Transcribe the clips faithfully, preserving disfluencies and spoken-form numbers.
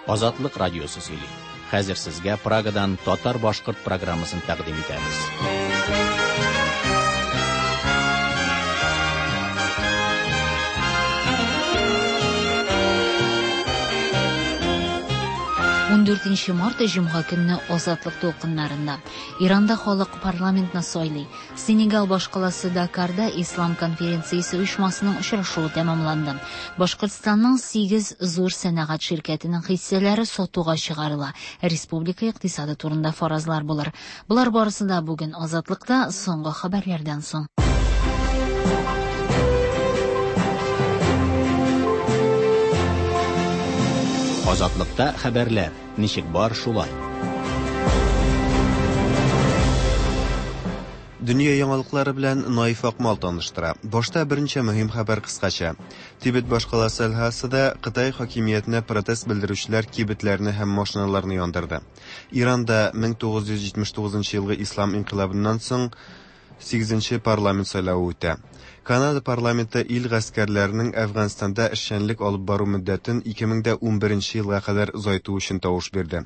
Азатлык радиосы сөйли. Хәзер сезгә Прагадан татар-башкорт программасын тәкъдим итәбез. Ундүртенче март җомга көнне Азатлык дулкыннарында Иранда халык парламентны сайлый. Сенегал башкаласы Дакарда Ислам конференциясе оешмасының очрашуы тәмамланды. Башкортстанның сигез зур сәнәгать ширкәтенең хиссәләре сатуга чыгарыла. Республика икътисады турында фаразлар булыр. Болар барысы да бүген Азатлыкта соңгы хәбәрләрдән соң. Азатлыкта хәбәрләр ничек бар шулай. Дөнья яңалыклары белән Наиф Акмал таныштыра. Башта берничә мөһим хәбәр кыскача. Тибет башкаласы Лхасада Кытай хакимиятенә протест белдерүчеләр кибетләрне һәм машиналарны яндырды. Иранда мең тугыз йөз җитмеш тугызынчы елгы ислам инкыйлабыннан соң сигезенче парламент сайлавы үтә. Канада парламенты ил гаскәрләренең Әфганстанда эшчәнлек алып бару мөддәтен ике мең дә унберенче елга кадәр озайту өчен тавыш бирде.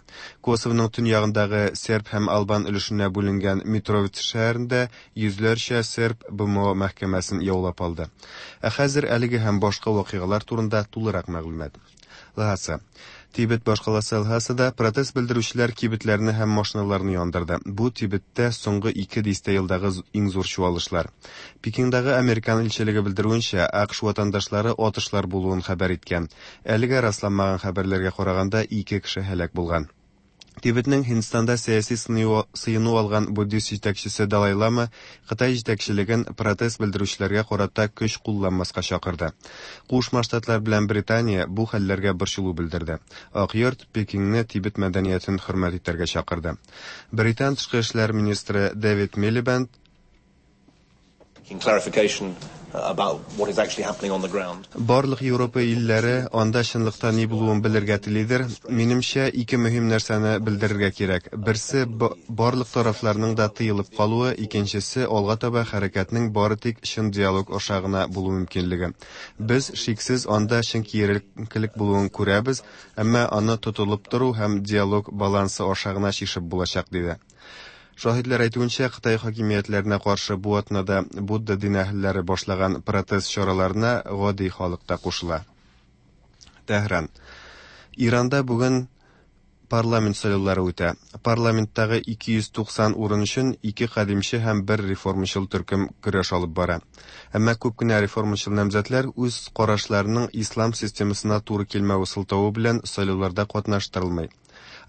Косовоның төньягындагы серб һәм албан өлешенә бүленгән Митровица шәһәрендә йөзләрчә серб Б М О мәхкәмәсен яулап алды. Ә хәзер әлеге һәм башка вакыйгалар турында тулырак мәгълүмат. Лхаса. Тибет башкаласы Лхасада протест белдерүчеләр кибетләрне һәм машиналарны яндырды. Бу Тибеттә соңгы ике дистә елдагы з-, иң зур чуалышлар. Пекиндагы Американ илчелеге белдерүенчә, А К Ш ватандашлары атышлар булуын хәбәр иткән. Әлегә расланмаган хәбәрләргә караганда ике кеше һәлак булган. Тибетнең Һиндстанда сәяси сыну, сыену алган буддист җитәкчесе Далай Лама Кытай җитәкчелеген протест белдерүчеләргә карата көч кулланмаска чакырды. Кушма Штатлар белән Британия бу хәлләргә борчылу белдерде. Ак йорт Пекинне Тибет мәдәниятен хөрмәт итәргә чакырды. Британ тышкы эшләр министры Дэвид Милибенд clarification about what is actually happening on the ground. Барлык Европа илләре анда чынлыкта ни булуын белергә телидер. Минемчә, ике мөһим нәрсәне белдерергә кирәк. Берсе, ба-, барлык тарафларның да тыелып калуы, икенчесе, алга таба хәрәкәтнең бары тик чын диалог аша гына булу мөмкинлеге. Без шиксез анда чын киеренкелек булуын күрәбез, әмма аны тотылып тору һәм диалог балансы аша гына чишеп булачак, диде. Шаһитләр әйтүенчә, Кытай хакимиятләренә каршы бу атнада Будда дин әһелләре башлаган протест чараларына гади халык та кушыла. Тәһран. Иранда бүген парламент сайлаулары үтә. Парламенттагы ике йөз туксан урын өчен ике кадимче һәм бер реформачыл төркем көрәш алып бара. Әмма күп кенә реформачыл намзәтләр үз карашларының ислам системасына туры килмәве сылтавы белән сайлауларда катнаштырылмый.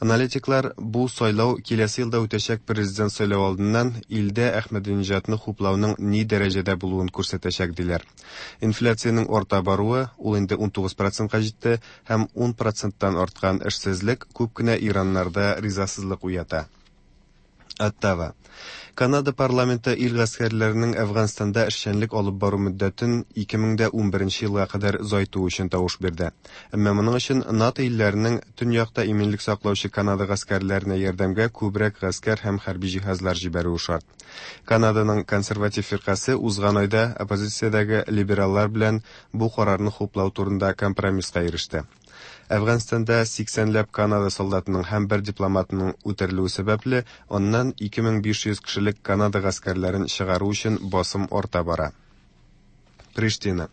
Аналитиклар бу сайлау киләсе елда үтәчәк президент сайлау алдыннан илдә Әхмәдинежадны хуплауның ни дәрәҗәдә булуын күрсәтәчәк диләр. Инфляциянең арта баруы, ул инде унтугыз процентка җитте һәм ун проценттан арткан эшсезлек күп кенә ираннарда ризасызлык уята. Оттава. Канада парламенты ил гаскәрләренең Әфганстанда эшчәнлек алып бару мөддәтен ике мең дә унберенче елга кадәр озайту өчен тавыш бирде. Әмма моның өчен НАТО илләренең төньякта иминлек саклаучы Канада гаскәрләренә ярдәмгә күбрәк гаскәр һәм хәрби җиһазлар җибәрүе шарт. Канаданың консерватив фиркасе узган айда оппозициядәге либераллар белән бу карарны хуплау турында компромисска иреште. Әфганстанда сиксәнләп Канада солдатының һәм бер дипломатының үтерелүе сәбәпле, аннан ике мең биш йөз кешелек Канада гаскәрләрен чыгару өчен басым арта бара. Приштина.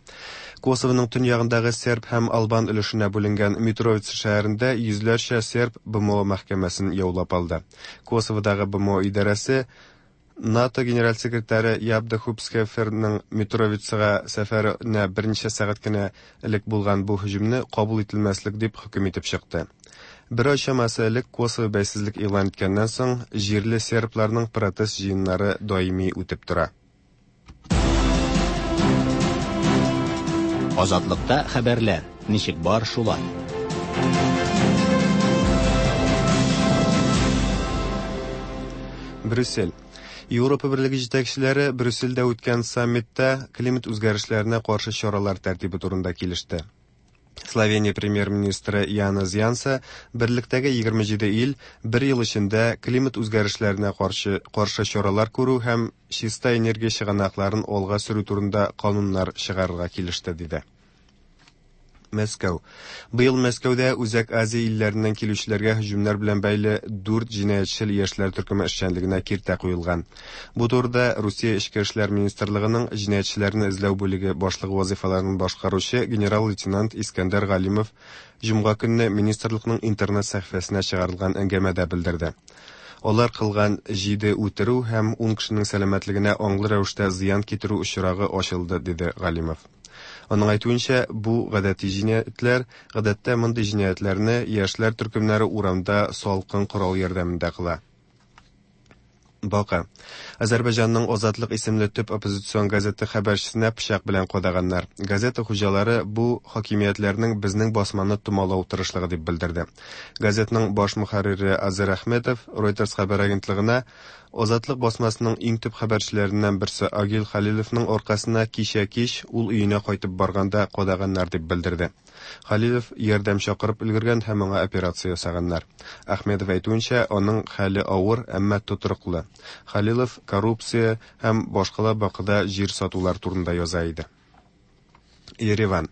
Косовоның төньягындагы серб һәм албан өлешенә бүленгән Митровица шәһәрендә йөзләрчә серб Б М О мәхкәмәсен яулап алды. Косоводагы Б М О идарәсе НАТО генераль секретаре Ябда Хупскеферның Митровицага сәфәренә берничә сәгать кенә элек булган бу һөҗүмне кабул ителмәслек дип хөкем итеп чыкты. Бер ай чамасы элек Косово бәйсезлек игълан иткәннән соң җирле сербларның протест җыеннары даими үтеп тора. Азатлыкта хәбәрләр ничек бар шулай. Брюссель. Европа Берлеге җитәкчеләре Брюссельдә үткән саммитта климат үзгәрешләренә каршы чаралар тәртибе турында килеште. Словения премьер-министры Янез Янса берлектәге егерме җиде ил бер ел эчендә климат үзгәрешләренә каршы, каршы чаралар күрү һәм чиста энергия чыганакларын алга сөрү турында кануннар чыгарырга килеште, диде. Мәскәү. Быел Мәскәүдә Үзәк Азия илләреннән килүчеләргә һөҗүмнәр белән бәйле дүрт җинаятьчел яшьләр төркеме эшчәнлегенә киртә куелган. Бу турыда Русия Эчке эшләр министрлыгының җинаятьчеләрне эзләү бүлеге башлыгы вазифаларын башкаручы генерал-лейтенант Искәндәр Галимов җомга көнне министрлыкның интернет сәхифәсенә чыгарылган әңгәмәдә белдерде. Алар кылган җиде үтерү һәм ун кешенең сәламәтлегенә аңлы рәвештә зыян китерү очрагы ачылды, диде Галимов. Аның әйтүенчә, бу гадәти җинаятьләр, гадәттә мондый җинаятьләрне яшьләр төркемнәре урамда салкын корал ярдәмендә кыла. Бака. Азәрбайҗанның Азатлык исемле төп оппозицион газеты хәбәрчесенә пычак белән кадаганнар. Газета хуҗалары бу хакимиятләрнең безнең басманы томалау тырышлыгы дип белдерде. Газетның баш мөхәррире Азер Әхмәтов Reuters хәбәр агентлыгына Азатлык басмасының иң төп хәбәрчеләреннән берсе Агил Халиловның аркасына кичә кич ул өенә кайтып барганда кадаганнар дип белдерде. Халилов ярдәм чакырып өлгергән һәм аңа операция ясаганнар. Әхмәтов әйтүенчә, аның хәле авыр, әмма тотрыклы. Халилов коррупция һәм башкала Бакыда җир сатулар турында яза иде. Ереван.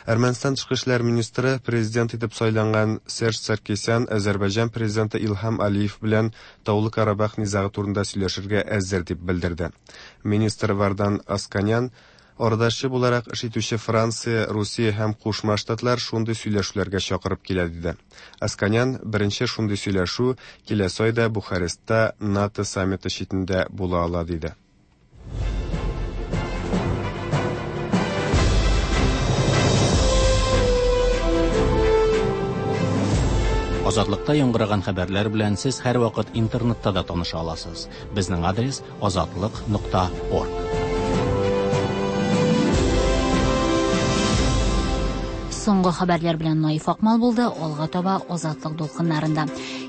Әрмәнстан тышкы эшләр министры президент итеп сайланган Серж Саркисян Азәрбайҗан президенты Илһам Алиев белән Таулы Карабах низагы турында сөйләшергә әзер дип белдерде. Министр Вардан Асканян арадашчы буларак эш итүче Франция, Русия һәм Кушма Штатлар шундый сөйләшүләргә чакырып килә диде. Асканян беренче шундый сөйләшү киләсе айда Бухарестта НАТО саммиты читендә була ала диде. Азатлыкта яңгыраган хәбәрләр белән сез һәрвакыт интернетта да таныша аласыз. Безнең адрес азатлык нокта орг. Соңгы хәбәрләр белән Наиф Акмал булды. Алга таба Азатлык дулкыннарында.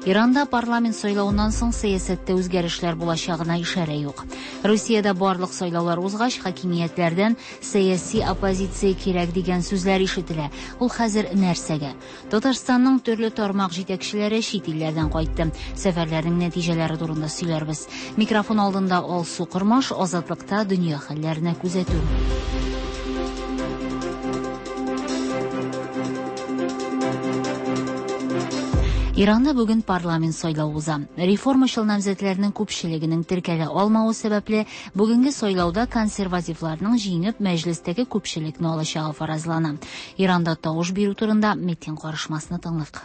Иранда парламент сайлавыннан соң сәясәттә үзгәрешләр булачагына ишарә юк. Русиядә барлык сайлаулар узгач, хакимиятләрдән сәяси оппозиция кирәк дигән сүзләр ишетелә. Ул хәзер нәрсәгә? Татарстанның төрле тармак җитәкчеләре чит илләрдән кайтты. Сәфәрләрнең нәтиҗәләре турында сөйләрбез. Микрофон алдында Алсу Кормаш, Азатлыкта дөнья хәлләренә күзәтү. Иранда бүген парламент сайлавы уза. Реформачыл намзәтләрнең күпчелегенең теркәлә алмавы сәбәпле, бүгенге сайлауда консервативларның җиңеп мәҗлестәге күпчелекне алачагы фаразлана. Иранда тавыш бирү турында Метин карышмасны тыңлыйк.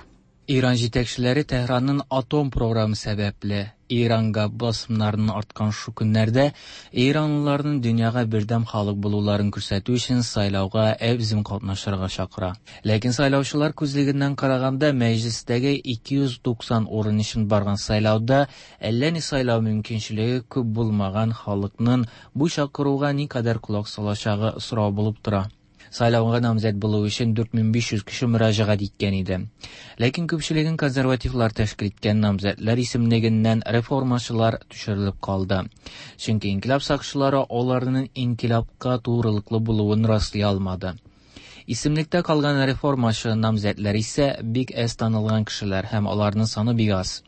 Иран җитәкчеләре Тәһранның атом програмы сәбәпле Иранга басымнарының арткан шу көннәрдә иранлыларның дөньяга бердәм халык булуларын күрсәтү өчен сайлауга әбзим катнашырга чакыра. Ләкин сайлаучылар күзлегеннән караганда мәҗлестәге ике йөз туксан урын өчен барган сайлауда әллә ни сайлау мөмкинчелеге күп булмаган халыкның бу чакыруга никадәр колак салачагы сорау булып тора. Сайлауга намзәт булу өчен дүрт мең биш йөз кеше мөрәҗәгать иткән иде. Ләкин күпчелеген консервативлар тәшкил иткән намзәтләр исемлегеннән реформачылар төшерелеп калды. Чөнки инкилаб сакчылары аларның инкилабка турылыклы булуын раслый алмады. Исемлектә калган реформачы намзәтләр исә бик әз танылган кешеләр һәм аларның саны бик аз.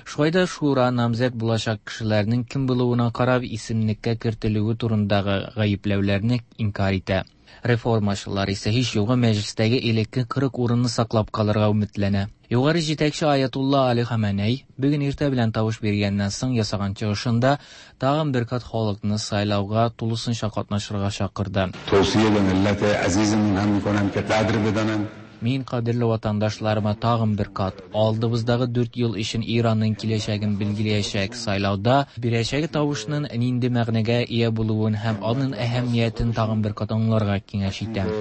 Шулай да шура намзәт булачак кешеләрнең кем булуына карап исемлеккә кертелүе турындагы гаепләүләрне инкар итә. Реформачылар исә һич югы мәҗлестәге элекке кырык урынны саклап калырга өметләнә. Югары җитәкче Аятулла Али Хаменей бүген иртә белән тавыш биргәннән соң ясаган чыгышында тагын бер кат халыкны сайлауга тулысынча катнашырга чакырды. Тавсия бе милләт азизимун һәм миконам ки кадр беданан. Мин кадерле ватандашларыма тагын бер кат алдыбыздагы дүрт ел өчен Иранның киләчәген билгеләячәк сайлауда бирәчәге тавышның нинди мәгънәгә ия булуын һәм аның әһәмиятен тагын бер кат аңларга киңәш итәм.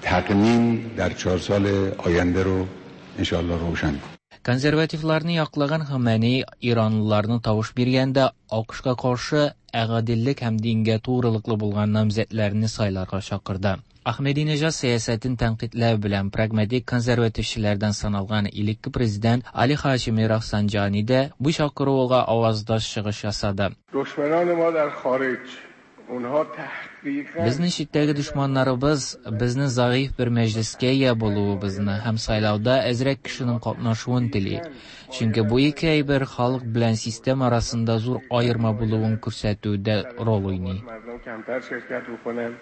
Тәкъмин дар чор сол оянда ро иншаллаһ равшан. Консервативларны яклаган Хаменей иранлыларны тавыш биргәндә АКШка каршы гаделлек һәм дингә турылыклы булган намзәтләрне сайларга чакырды. Ахмединежад сәясәтен тәнкыйтьләү белән прагматик консервативчылардан саналган элекке президент Али Хашими Рафсанджани да бу чакыруга аваздаш чыгыш ясады. Дошманан ма дар хориҗ, унһа тәхкыйкан Безнең читтәге дошманнарыбыз безне зәгыйфь бер мәҗлескә ия булуыбызны һәм сайлауда әзрәк кешенең катнашуын тели. Чөнки бу ике әйбер халык белән система арасында зур аерма булуын күрсәтүдә роль уйный. Мардум камтар ширкәт букунан.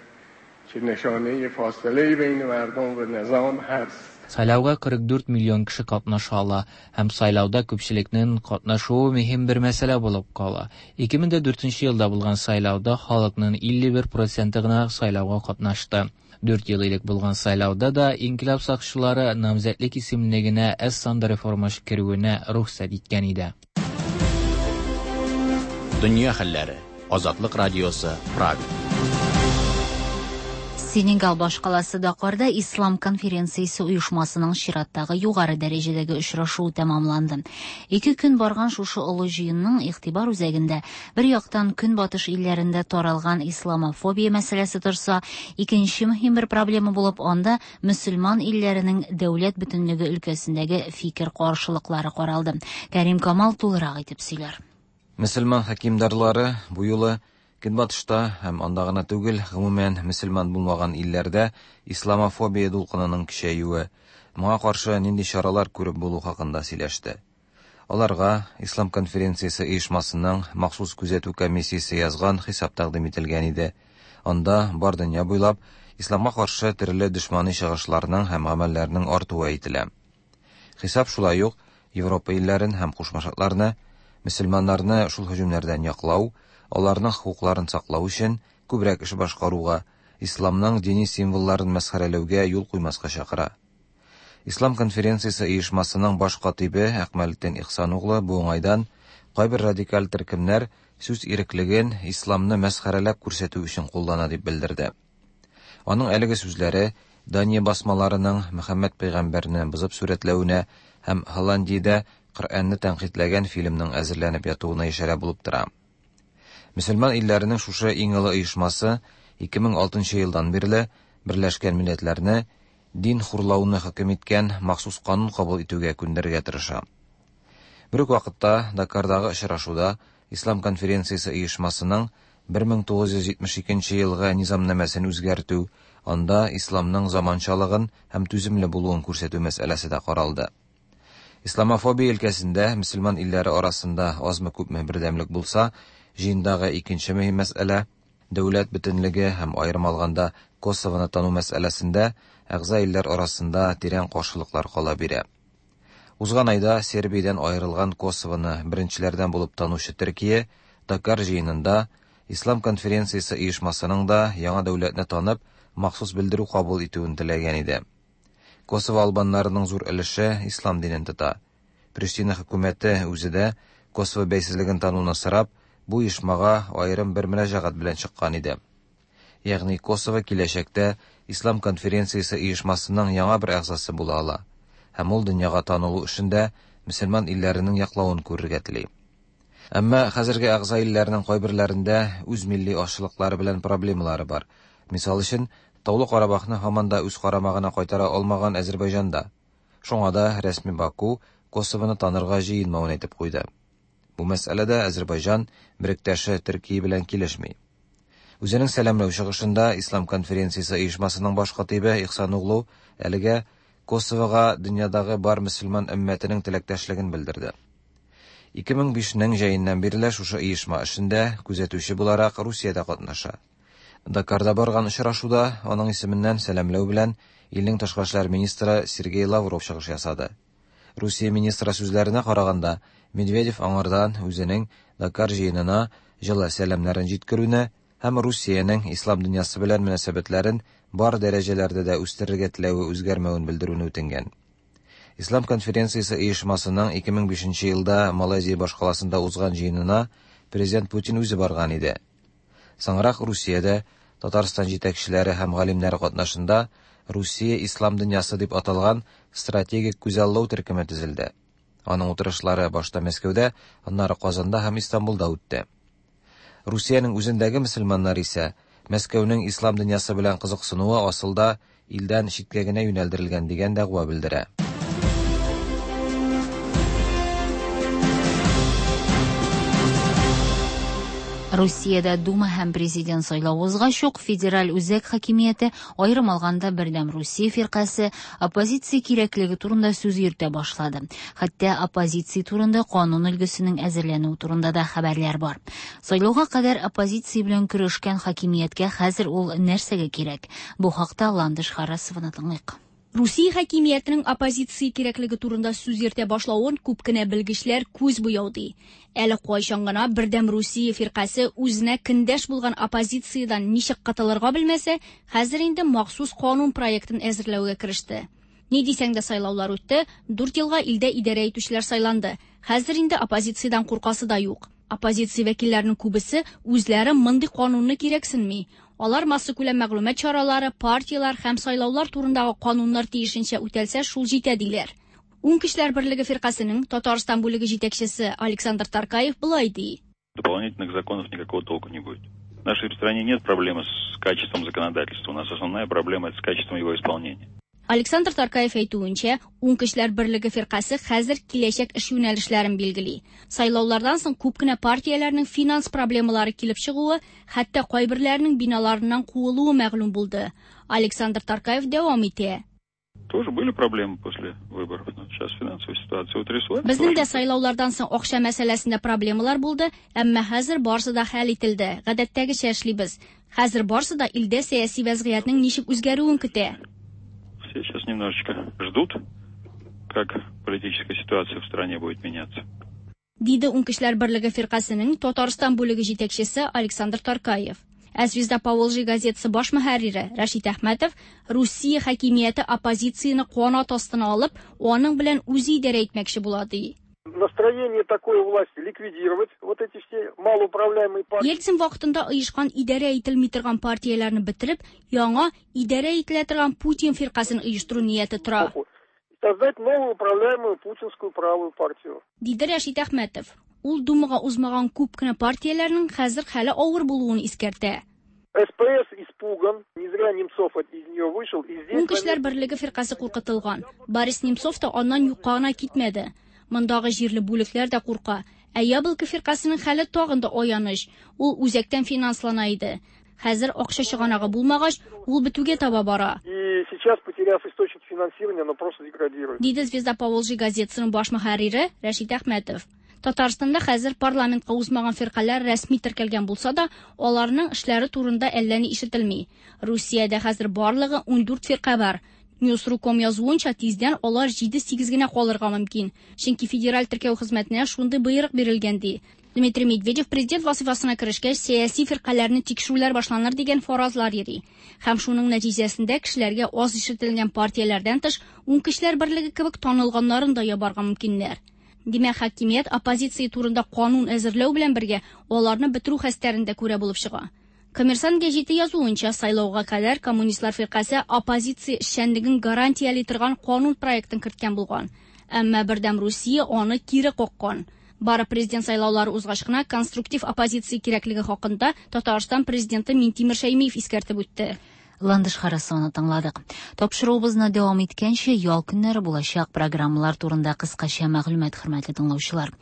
که نشانه فاصله بین مردم و نظام هست. Сайлауга кырык дүрт миллион кеше катнаша ала һәм сайлауда күпчелекнең катнашуы мөһим бер мәсьәлә булып кала. ике мең дә дүртенче елда булган сайлауда халыкның илле бер проценты гына сайлауга катнашты. Дүрт ел элек булган сайлауда да инкыйлаб сакчылары намзәтлек исемлегенә әз санда реформашы керүенә рөхсәт иткән иде. Дөнья хәлләре. Азатлык радиосы, Прага. Сенегал башкаласы Дакарда Ислам конференциясе оешмасының чираттагы югары дәрәҗәдәге очрашуы тәмамланды. Ике көн барган шушы олы җыенның игътибар үзәгендә бер яктан көнбатыш илләрендә таралган исламофобия мәсьәләсе торса, икенче мөһим бер проблема булып анда мөселман илләренең дәүләт бөтенлеге өлкәсендәге фикер каршылыклары каралды. Кәрим Камал тулырак итеп сөйләр. Мөселман хакимдарлары бу юлы Көнбатышта һәм анда гына түгел, гомумән мөселман булмаган илләрдә исламофобия дулкынының көчәюе, моңа каршы нинди чаралар күреп булу хакында сөйләште. Аларга Ислам конференциясе оешмасының махсус күзәтү комиссиясе язган хисап тәкъдим ителгән иде. Анда бар дөнья буйлап исламга каршы төрле дошмани чыгышларның һәм гамәлләрнең артуы әйтелә. Хисап шулай ук Европа илләрен һәм Кушма Штатларны мөселманнарны шул һөҗүмнәрдән яклау, аларның хокукларын саклау өчен күбрәк эш башкаруга, исламның дини символларын мәсхәрәләүгә юл куймаска чакыра. Ислам конференциясе оешмасының баш катибе Әкмәлетдин Ихсаноглы бу уңайдан кайбер радикаль төркемнәр сүз иреклеген исламны мәсхәрәләп күрсәтү өчен куллана дип белдерде. Аның әлеге сүзләре Дания басмаларының Мөхәммәд пәйгамбәрне бозып сурәтләвенә һәм Һолландиядә Коръәнне тәнкыйтьләгән фильмның әзерләнеп ятуына ишарә булып тора. Мөселман илләренең шушы иң олы оешмасы ике мең алтынчы елдан бирле Берләшкән Милләтләрне дин хурлауны хөкем иткән махсус канун кабул итүгә күндерергә тырыша. Бер үк вакытта Дакардагы очрашуда Ислам конференциясе оешмасының бер мең тугыз йөз җитмеш икенче елгы низамнамәсен үзгәртү, анда исламның заманчалыгын һәм түземле булуын күрсәтү мәсьәләсе дә каралды. Исламофобия өлкәсендә мөселман илләре арасында азмы-күпме бердәмлек булса, җыендагы икенче мөһим мәсьәлә дәүләт бөтенлеге һәм аерым алганда Косовоны тану мәсьәләсендә әгъза илләр арасында тирән каршылыклар кала бирә. Узган айда Сербиядән аерылган Косовоны беренчеләрдән булып танучы Төркия Дакар җыенында Ислам конференциясе оешмасының да яңа дәүләтне танып, махсус белдерү кабул итүен теләгән иде. Косово албаннарының зур өлеше ислам динен тота. Приштина хөкүмәте үзе дә Косово бәйсезлеген тануны сорап, бу оешмага аерым бер мөрәҗәгать белән чыккан иде. Ягъни Косово киләчәктә Ислам конференциясе оешмасының яңа бер әгъзасы була ала һәм ул дөньяга танылу эшендә мөселман илләренең яклавын күрергә тели. Әмма хәзерге әгъза илләрнең кайберләрендә үз милли азчылыклары белән проблемалары бар. Мисал өчен, Таулы Карабахны һаман да үз карамагына кайтара алмаган Азербайҗанда. Шуңа да рәсми Баку Косовоны танырга җыенмавын әйтеп куйды. Бу мәсьәләдә Азербайҗан беректәше Төркия белән килешми. Үзенең сәламләү чыгышында Ислам конференциясе оешмасының баш катибе Ихсаноглу әлегә Косовога дөньядагы бар мөселман өммәтенең теләктәшлеген белдерде. ике мең бишнең җәеннән бирле шушы оешма эшендә күзәтүче буларак Русиядә катнаша. Дакарда барган очрашуда аның исеменнән сәламләү белән илнең тышкы эшләр министры Сергей Лавров чыгыш ясады. Русия министры сүзләренә караганда, Медведев аңардан үзенең Дакар җыенына җылы сәламнәрен җиткерүне һәм Русиянең ислам дөньясы белән мөнәсәбәтләрен бар дәрәҗәләрдә дә үстерергә теләве үзгәрмәвен белдерүне үтенгән. Ислам конференциясе оешмасының ике мең бишенче елда Малайзия башкаласында узган җыенына президент Путин үзе барган иде. Соңрак Русиядә Татарстан җитәкчеләре һәм галимнәре катнашында Русия ислам дөньясы дип аталган стратегик күзаллау төркеме төзелде. Аның утырышлары башта Мәскәүдә, аннары Казанда һәм Истанбулда үтте. Русиянең үзендәге мөселманнар исә Мәскәүнең ислам дөньясы белән кызыксынуы асылда илдән читкә генә юнәлдерелгән дигән дәгъва белдерә. Русиядә Дума һәм президент сайлавы узгач ук федераль үзәк хакимияте, аерым алганда Бердәм Русия фиркасе, оппозиция кирәклеге турында сүз йөртә башлады. Хәтта оппозиция турында канун өлгесенең әзерләнүе турында да хәбәрләр бар. Сайлауга кадәр оппозиция белән көрәшкән хакимияткә хәзер ул нәрсәгә кирәк? Бу хакта Ландыш Харасованы тыңлыйк. Русия хакимиятенең оппозиция кирәклеге турында сүз йөртә башлавын күп кенә белгечләр күз буяу ди. Әле кайчан гына Бердәм Русия фиркасе үзенә көндәш булган оппозициядән ничек кытылырга белмәсә, хәзер инде махсус канун проектын әзерләүгә кереште. Ни дисәң дә сайлаулар үтте, дүрт елга илдә идарә итүчеләр сайланды. Хәзер инде оппозициядән куркасы да юк. Оппозиция вәкилләренең күбесе үзләре мондый канунны кирәксенми. Алар массакүләм мәгълүмат чаралары, партиялар һәм сайлаулар турындагы кануннар тиешенчә үтәлсә, шул җитә диләр. Уң көчләр берлеге фиркасының Татарстан бүлеге җитәкчесе Александр Таркаев болай ди. Дополнительных законов никакого толку не будет. В нашей стране нет проблемы с качеством законодательства. У нас основная проблема это с качеством его исполнения. Александр Таркаев әйтүенчә, уң көчләр берлеге фиркасе хәзер киләчәк эш юнәлешләрен билгели. Сайлаулардан соң күп кенә партияләрнең финанс проблемалары килеп чыгуы, хәтта кайберләренең биналарыннан куылуы мәгълүм булды. Александр Таркаев дәвам итә. Тоже были проблемы после выборов, но сейчас финансовая ситуация утряслась. Безнең дә сайлаулардан соң акча мәсьәләсендә проблемалар булды, әмма хәзер барысы да хәл ителде. Гадәттәгечә эшлибез. Хәзер барысы да илдә сәяси вәзгыятьнең ничек үзгәрүен көтә. Все сейчас немножечко ждут, как политическая ситуация в стране будет меняться. Диде Уң көчләр берлеге фиркасының Татарстан бүлеге җитәкчесе Александр Таркаев. Ә Звезда Поволжья газетасы баш мөхәррире Рәшит Әхмәтов Русия хакимияте оппозицияне канат астына алып, аның белән үзе идарә итмәкче була ди. Настроение такое власти ликвидировать вот эти все малоуправляемые партии. Ельцин вакытында оешкан идарә ителми торган партияләрне бетереп, яңа идарә ителә торган Путин фиркасын оештыру нияте тора. Создать новую управляемую путинскую правую партию. Диде Рәшит Әхмәтов. Ул Думага узмаган күп кенә партияләрнең хәзер хәле авыр булуын искәртә. СПС испуган, не зря Немцов из нее вышел. И здесь Уң көчләр берлеге фиркасе куркытылган. Борис Немцов та аннан юкка гына китмәде. Мондагы җирле бүлекләр дә курка. Ә Яблоко фиркасының хәле тагын да аяныч. Ул үзәктән финанслана иде. Хәзер акча чыганагы булмагач, ул бетүгә таба бара. И сейчас, потеряв источник финансирования, оно просто деградирует. Диде Звезда Поволжья газетасының баш мөхәррире Рәшит Әхмәтов. Татарстанда хәзер парламентка узмаган фиркаләр рәсми теркәлгән булса да, аларның эшләре турында әллә ни ишетелми. Русиядә хәзер барлыгы ундүрт фирка бар. Ньюс точка ком язуынча, тиздән алар җиде-сигез генә калырга мөмкин. Чөнки федераль теркәү хезмәтенә шундый боерык бирелгән ди. Дмитрий Медведев президент вазифасына керешкәч, сәяси фиркаләрне тикшерүләр башланыр дигән фаразлар йөри. Һәм шуның нәтиҗәсендә кешеләргә аз ишетелгән партияләрдән тыш, уң көчләр берлеге кебек танылганнарын да ябарга мөмкиннәр. Димәк, хакимият оппозиция турында канун әзерләү белән бергә аларны бетерү хәстәрен дә күрә булып чыга. Коммерсант гәҗите язуынча, сайлауга кадәр коммунистлар фиркасе оппозиция эшчәнлеген гарантияли торган канун проектын керткән булган. Әмма Бердәм Русия аны кире каккан. Бары президент сайлаулары узгач кына конструктив оппозиция кирәклеге хакында Татарстан президенты Минтимер Шәймиев искәртеп үтте. Ландыш Харасованы тыңладык. Тапшыруыбызны дәвам иткәнче, ял көннәре булачак программалар турында кыскача мәгълүмат, хөрмәтле тыңлаучылар.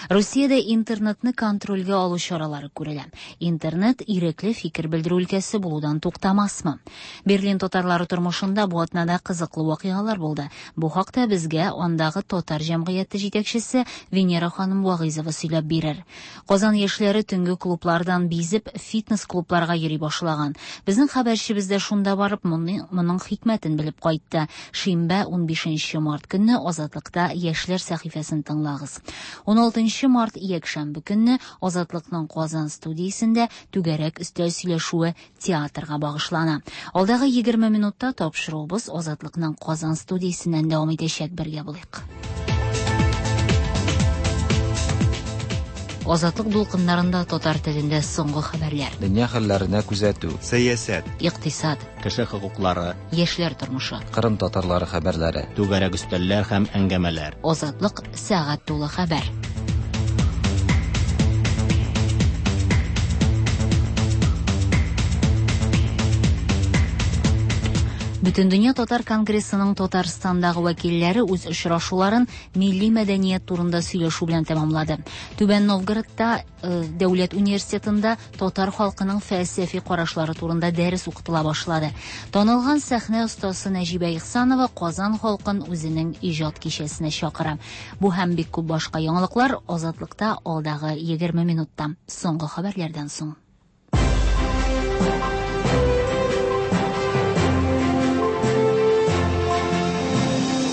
Русиядә интернетны контрольгә алу чаралары күрелә. Интернет ирекле фикер белдерү өлкәсе булудан туктамасмы? Берлин татарлары тормышында бу атнада кызыклы вакыйгалар булды. Бу хакта безгә андагы татар җәмгыяте җитәкчесе Венера ханым Вагыйзова сөйләп бирер. Казан яшьләре төнге клублардан бизеп фитнес клубларга йөри башлаган. Безнең хәбәрчебез дә шунда барып моның хикмәтен белеп кайтты. Шимбә унбишенче март көнне Азатлыкта яшьләр сәхифәсен тыңлагыз. Уналтынчы март якшәмбе көнне Азатлыкның Казан студиясендә түгәрәк өстәл сөйләшүе театрга багышлана. Алдагы егерме минутта тапшыруыбыз Азатлыкның Казан студиясеннән дәвам итәчәк. Бергә булыйк. Азатлык дулкыннарында татар телендә соңгы хәбәрләр. Дөнья хәлләренә күзәтү, сәясәт, икътисад, кеше хокуклары, яшьләр тормышы, Кырым татарлары хәбәрләре, түгәрәк өстәлләр һәм әңгәмәләр. Азатлык сәгать тулы хәбәр. Бөтендөнья татар конгрессының Татарстандагы вәкилләре үз очрашуларын милли мәдәният турында сөйләшү белән тәмамлады. Түбән Новгородта э, дәүләт университетында татар халкының фәлсәфи карашлары турында дәрес укытыла башлады. Танылган сәхнә остасы Нәҗибә Ихсанова Казан халкын үзенең иҗат кичәсенә чакыра. Бу һәм бик күп башка яңалыклар Азатлыкта алдагы егерме минутта. Соңгы хәбәрләрдән соң.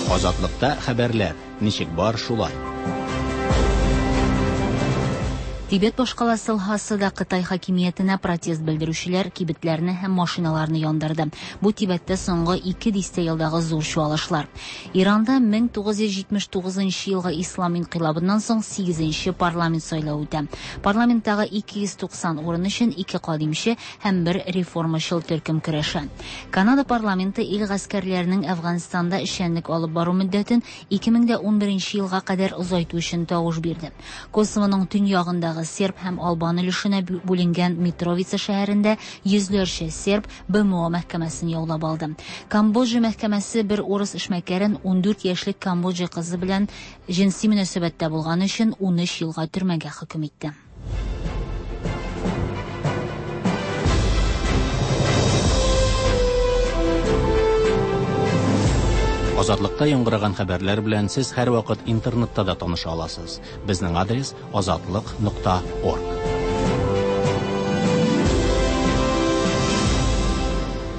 Азатлыкта хәбәрләр ничек бар шулай. Тибет башкаласы Лхасада Кытай хакимиятенә протест белдерүчеләр кибетләрне һәм машиналарны яндырды. Бу Тибеттә соңгы ике дистә елдагы зур чуалышлар. Иранда мең тугыз йөз җитмеш тугызынчы елгы ислам инкыйлабыннан соң сигезенче парламент сайлавы үтә. Парламенттагы ике йөз туксан урын өчен ике кадимче һәм бер реформачыл төркем көрәшә. Канада парламенты ил гаскәрләренең Әфганстанда эшчәнлек алып бару мөддәтен ике мең дә унберенче елга кадәр озайту өчен тавыш бирде. Косовоның төньягындагы серб һәм албан өлешенә бүленгән Митровица шәһәрендә йөзләрчә серб Б М О мәхкәмәсен яулап алды. Камбоджа мәхкәмәсе бер урыс эшмәкәрен ундүрт яшьлек Камбоджа кызы белән җенси мөнәсәбәттә булган өчен унөч елга төрмәгә хөкем итте. Азатлыкта яңгыраган хәбәрләр белән сез һәрвакыт интернетта да таныша аласыз. Безнең адрес азатлык нокта орг.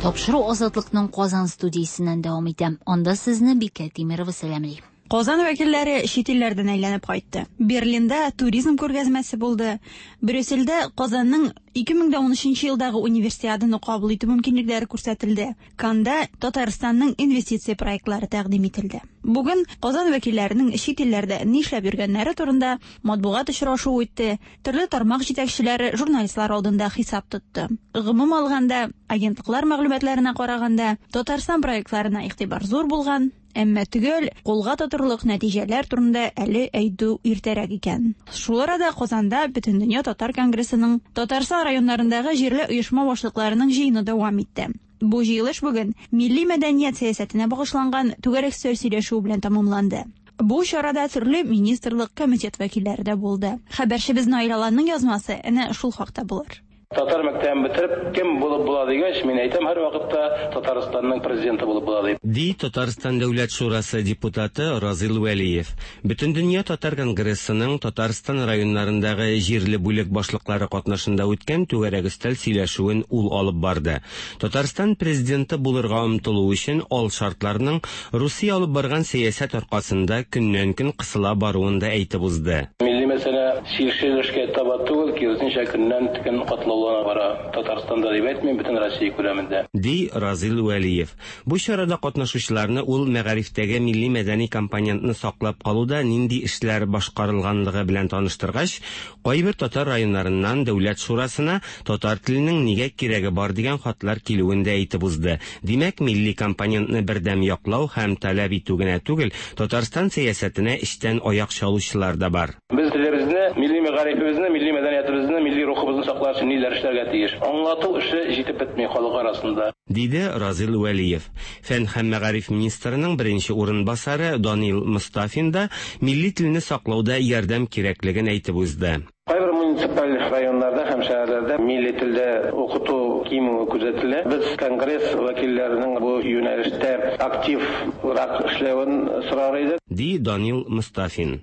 Тапшыру Азатлыкның Казан студиясеннән дәвам итә. Анда сезне Бикә Тимирова сәламли. Казан вәкилләре чит илләрдән әйләнеп кайтты. Берлинда туризм күргәзмәсе булды. Брюссельдә Казанның ике мең дә унөченче елдагы универсиаданы кабул итү мөмкинлекләре күрсәтелде. Канда Татарстанның инвестиция проектлары тәкъдим ителде. Бүген Казан вәкилләренең чит илләрдә нишләп йөргәннәре турында матбугат очрашуы үтте. Төрле тармак җитәкчеләре журналистлар алдында хисап тотты. Гомум алганда, агентлыклар мәгълүматларына караганда, Татарстан проектларына игътибар зур булган. Әмма төгәл кулга тотырлык нәтиҗәләр турында әле әйтү иртәрәк икән. Шул арада Казанда Бөтендөнья татар конгрессының Татарстан районнарындагы җирле оешма башлыкларының җыены дәвам итте. Бу җыелыш бүген милли мәдәният сәясәтенә багышланган түгәрәк өстәл сөйләшүе белән тәмамланды. Бу чарада төрле министрлык, комитет вәкилләре дә булды. Хәбәрчебез Наил Аланның язмасы әнә шул хакта булыр. Татар мәктәбен бетереп, кем булып була дигәч, мин әйтәм һәр вакытта Татарстанның президенты булып була дип. Ди Татарстан Дәүләт Шурасы депутаты Разил Вәлиев. Бөтендөнья татар конгрессының Татарстан районнарындагы җирле бүлек башлыклары катнашында үткән түгәрәк өстәл сөйләшүен ул алып барды. Татарстан президенты булырга омтылу өчен ал шартларның Русия алып барган сәясәт аркасында көннән-көн кысыла баруын да әйтеп узды. Милли мәсьәлә чишелешкә таба түгел, киресенчә көннән-көн катлаулана бара. Татарстанда дип әйтмим, бөтен Россия күләмендә. Ди Разил Вәлиев. Бу чарада катнашучыларны ул мәгарифтәге милли мәдәни компонентны саклап калуда нинди эшләр башкарылганлыгы белән таныштыргач, кайбер татар районнарыннан Дәүләт Шурасына татар теленең нигә кирәге бар дигән хатлар килүен дә әйтеп узды. Димәк, милли компонентны бердәм яклау һәм таләп итү генә түгел, Татарстан сәясәтенә эчтән аяк чалучылар да бар. Без телебезне, милли мәгарифебезне, милли мәдәниятебезне, милли рухыбызны саклар өчен ниләр эшләргә тиеш. Аңлату эше җитеп бетми халык арасында, диде Разил Вәлиев. Фән һәм мәгариф министрының беренче урынбасары Данил Мустафин да милли телне саклауда ярдәм кирәклеген әйтеп узды. Кайбер муниципаль районнарда һәм шәһәрләрдә милли телдә укыту кимүе күзәтелә. Без конгресс вәкилләренең бу юнәлештә активрак эшләвен сорар идек, ди Данил Мустафин.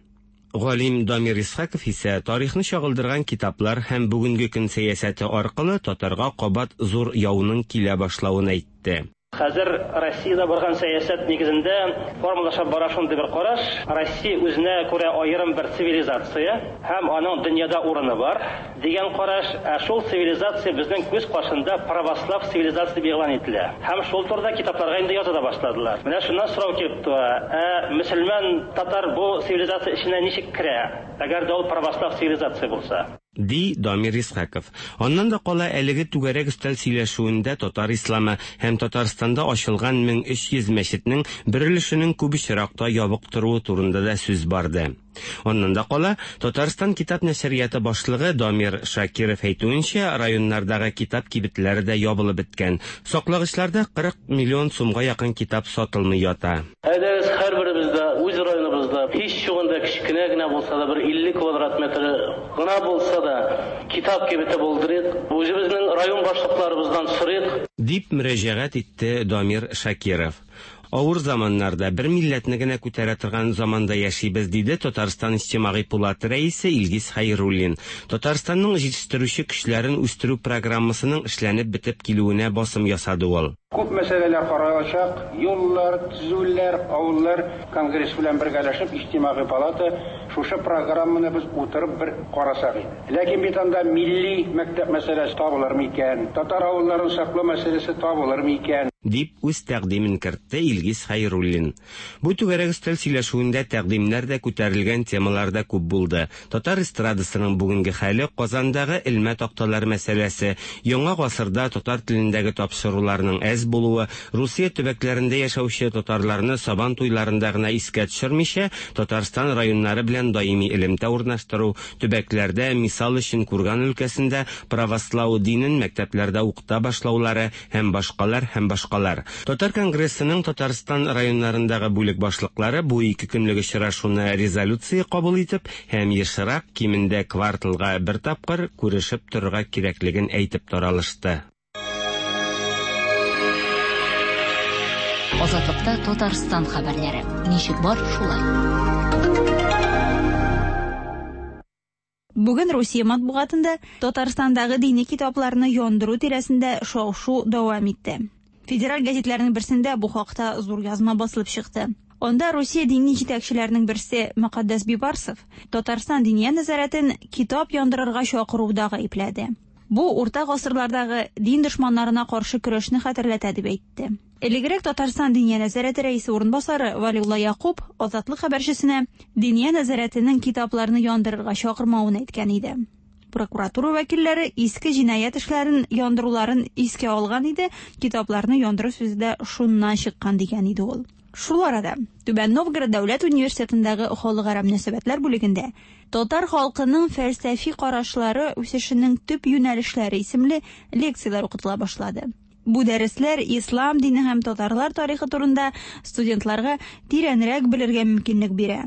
Галим Дамир Исхаков исә тарихны чагылдырган китаплар һәм бүгенге көн сәясәте аркылы татарга кабат зур яуның килә башлавын әйтте. Хәзер Россиядә барган сәясәт нигезендә формалаша бара шундый бер караш. Россия үзенә күрә аерым бер цивилизация һәм аның дөньяда урыны бар дигән караш. Ә шул цивилизация безнең күз каршында православ цивилизация дип игълан ителә. Һәм шул турыда китапларга инде яза да башладылар. Менә шуннан сорау килеп туа. Ә мөселман татар бу цивилизация эченә ничек керә? Әгәр дә ул православ цивилизация булса. Ди Дамир Исхаков. Аннан да кала әлеге түгәрәк өстәл сөйләшүендә татар исламы һәм Татарстанда ачылган мең өч йөз мәчетнең бер өлешенең күп очракта ябык торуы турында да сүз барды. Аннан да кала Татарстан китап нәшрияты башлыгы Дамир Шакиров әйтүенчә, районнардагы китап кибетләре дә ябылып беткән. Саклагычларда кырык миллион сумга якын китап сатылмый ята. Әйдәгез, һәрберебездә үз районыбызда һич югында кечкенә генә булса да бер илле квадрат метр гына булса да китап кибете булдырыйк, үзебезнең район башлыкларыбыздан сорыйк, дип мөрәҗәгать итте Дамир Шакиров. Авыр заманнарда бер милләтне генә күтәрә торган заманда яшибез, диде Татарстан Иҗтимагый пулаты рәисе Илгиз Хәйруллин. Татарстанның җитештерүче көчләрен үстерү программасының эшләнеп бетеп килүенә басым ясады ул. Күп мәсьәләләр каралачак, юллар, төзүләр, авыллар, конгресс белән бергәләшеп Иҗтимагый палата шушы программаны без утырып бер карасак иде. Ләкин бит анда милли мәктәп мәсьәләсе табылыр микән, татар авылларын саклау мәсьәләсе табылыр микән, дип үз тәкъдимен кертте Илгиз Хәйруллин. Бу түгәрәк өстәл сөйләшүендә тәкъдимнәр дә күтәрелгән темалар да күп булды. Татар эстрадасының бүгенге хәле, Казандагы элмә такталар мәсьәләсе, яңа гасырда татар телендәге тапшыруларның әз булуы, Русия төбәкләрендә яшәүче татарларны сабан туйларында гына искә төшермичә, Татарстан районнары белән даими элемтә урнаштыру, төбәкләрдә, мисал өчен Курган өлкәсендә правослау динен мәктәпләрдә укыта башлаулары һәм башкалар һәм башкалар. Татар конгрессының Татарстан районнарындагы бүлек башлыклары бу ике көнлек очрашуны резолюция кабул итеп һәм ешрак, кимендә кварталга бер тапкыр күрешеп торырга кирәклеген әйтеп таралышты. Азатлыкта Татарстан хәбәрләре. Ничек бар, шулай. Бүген Русия матбугатында Татарстандагы дини китапларны яндыру тирәсендә шау-шу дәвам итте. Федераль гәзитләрнең берсендә бу хакта зур язма басылып чыкты. Анда Русия дини җитәкчеләренең берсе Мөкаддәс Бибарсов Татарстан диния нәзарәтен китап яндырырга чакыруда гаепләде. Бу урта гасырлардагы дин дошманнарына каршы көрәшне хәтерләтә дип әйтте. Элегрәк Татарстан диния нәзарәте рәисе урынбасары Валиулла Якуб Азатлык хәбәрчесенә диния нәзарәтенең китапларны яндырырга чакырмавын әйткән иде. Прокуратура вәкилләре иске җинаять эшләрен яндыруларын искә алган иде, китапларны яндыру сүзе дә шуннан чыккан дигән иде ул. Шул арада Түбән Новгород дәүләт университетындагы халыкара мөнәсәбәтләр бүлегендә татар халкының фәлсәфи карашлары үсешенең төп юнәлешләре исемле лекцияләр укытыла башлады. Бу дәресләр ислам дине һәм татарлар тарихы турында студентларга тирәнрәк белергә мөмкинлек бирә.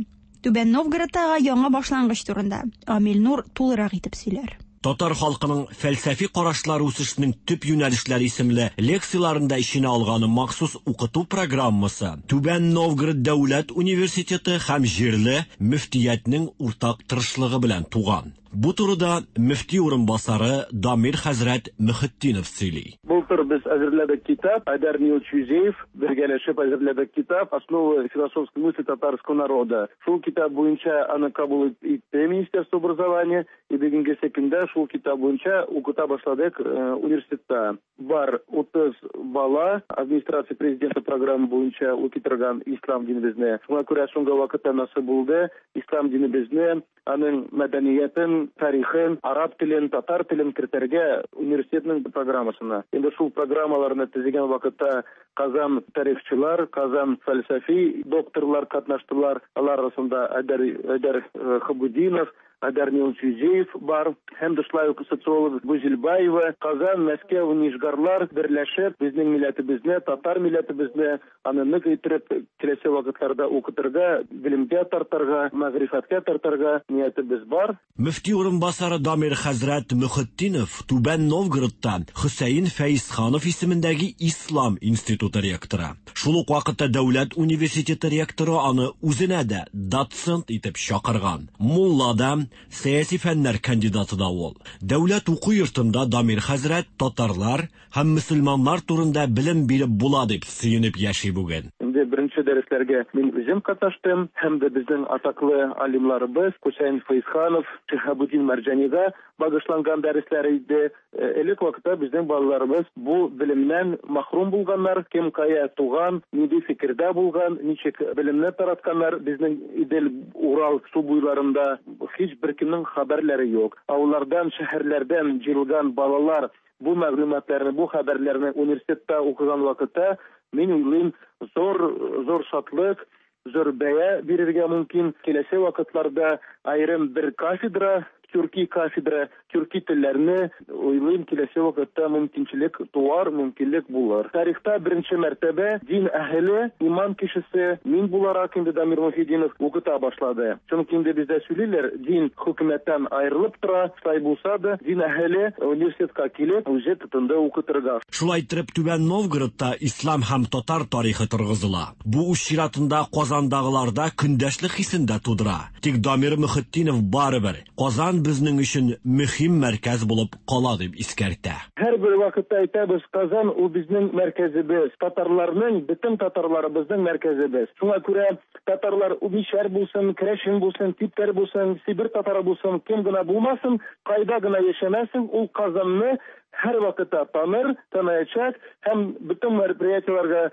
Түбән Новгородтагы яңа башлангыч турында Амил Нур тулырак итеп сөйләр. Татар халкының фәлсәфи карашлары үсешенең төп юнәлешләре исемле лекцияләрендә эченә алган махсус укыту программасы Түбән Новгород дәүләт университеты һәм җирле мөфтиятнең уртак тырышлыгы белән туган. Бу турыда мөфти урынбасары Дамир хәзрәт Мөхетдинов сөйли. Былтыр без әзерләдек китап, Айдар Нилович Юзеев бергәләшеп әзерләдек китап «Основы философской мысли татарского народа». Шул китап буенча аны кабул итте Министерство образования, и бүгенге көндә шул китап буенча укыта башладык университетта. Бар утыз бала администрация президента программа буенча укый торган ислам динебезне. Шуңа күрә соңгы вакытта насыйп булды ислам динебезне, аның мәдәниятен, тарихын, араб телен, татар телен кертергә университетның программасына. Инде шул программаларны төзегән вакытта Казан тарихчылар, Казан фәлсәфи докторлар катнаштылар. Алар арасында Айдар, Айдар Хабудинов, Айдар Нилович Юзеев бар, һәм дә шулай ук социолог Гүзелбаева, Казан, Мәскәү, Нижгарлар берләшеп безнең милләтебезне, татар милләтебезне аны нык итеп киләсе вакытларда укытырга, белемгә тартырга, мәгърифәткә тартырга ниятебез бар. Мөфти урынбасары Дамир хәзрәт Мөхетдинов Түбән Новгородта Хөсәен Фәйзханов исемендәге Ислам институты ректоры. Шул ук вакытта дәүләт университеты ректоры аны үзенә дә доцент итеп чакырган. Мулла да, сәяси фәннәр кандидаты да ул. Дәүләт уку йортында Дамир хәзрәт татарлар һәм мөселманнар турында белем биреп була дип сөенеп яши бүген. Инде беренче дәресләргә мин үзем катнаштым, һәм дә безнең атаклы алимларыбыз Хөсәен Фәйзханов, Шиһабуддин Мәрҗанига багышланган дәресләр иде. Элек вакытта безнең балаларыбыз бу белемнән мәхрүм булганнар, кем кая туган, нинди фикердә булган, ничек белемне таратканнар, безнең Идел, Урал су буйларында һич бер кемнең хәбәрләре юк. Авыллардан, шәһәрләрдән җыелган балалар бу мәгълүматларны, бу хәбәрләрне университетта укыган вакытта, мин уйлыйм, зур зур шатлык, зур бәя бирергә мөмкин. Киләсе вакытларда аерым бер кафедра, төрки кафедра, төрки телләрне уйлыйм, киләсе вакытта мөмкинчелек туар, мөмкинлек булыр. Тарихта беренче мәртәбә дин әһеле, иман кешесе, мин буларак инде Дамир Мөхетдинов укыта башлады. Чөнки инде бездә сөйлиләр, дин хөкүмәттән аерылып тора, шулай булса да, дин әһеле университетка килеп, үзе тотынды укытырга. Шулай итеп, Түбән Новгородта ислам һәм татар тарихы торгызыла. Бу үз чиратында Казандагыларда көндәшлек хисен дә тудыра. Тик Дамир Мөхетдинов барыбер Казан безнең өчен мөһим мәркәз булып кала дип искәртә. Һәр бер вакытта әйтәбез, Казан ул безнең мәркәзебез, татарларның, бөтен татарларыбызның мәркәзебез. Шуңа күрә татарлар мишәр булсын, керәшен булсын, типтәр булсын, Сибир татары булсын, кем генә булмасын, кайда гына яшәмәсен, ул Казанны һәр вакытта таныр, таныячак һәм бөтен мероприятиеләргә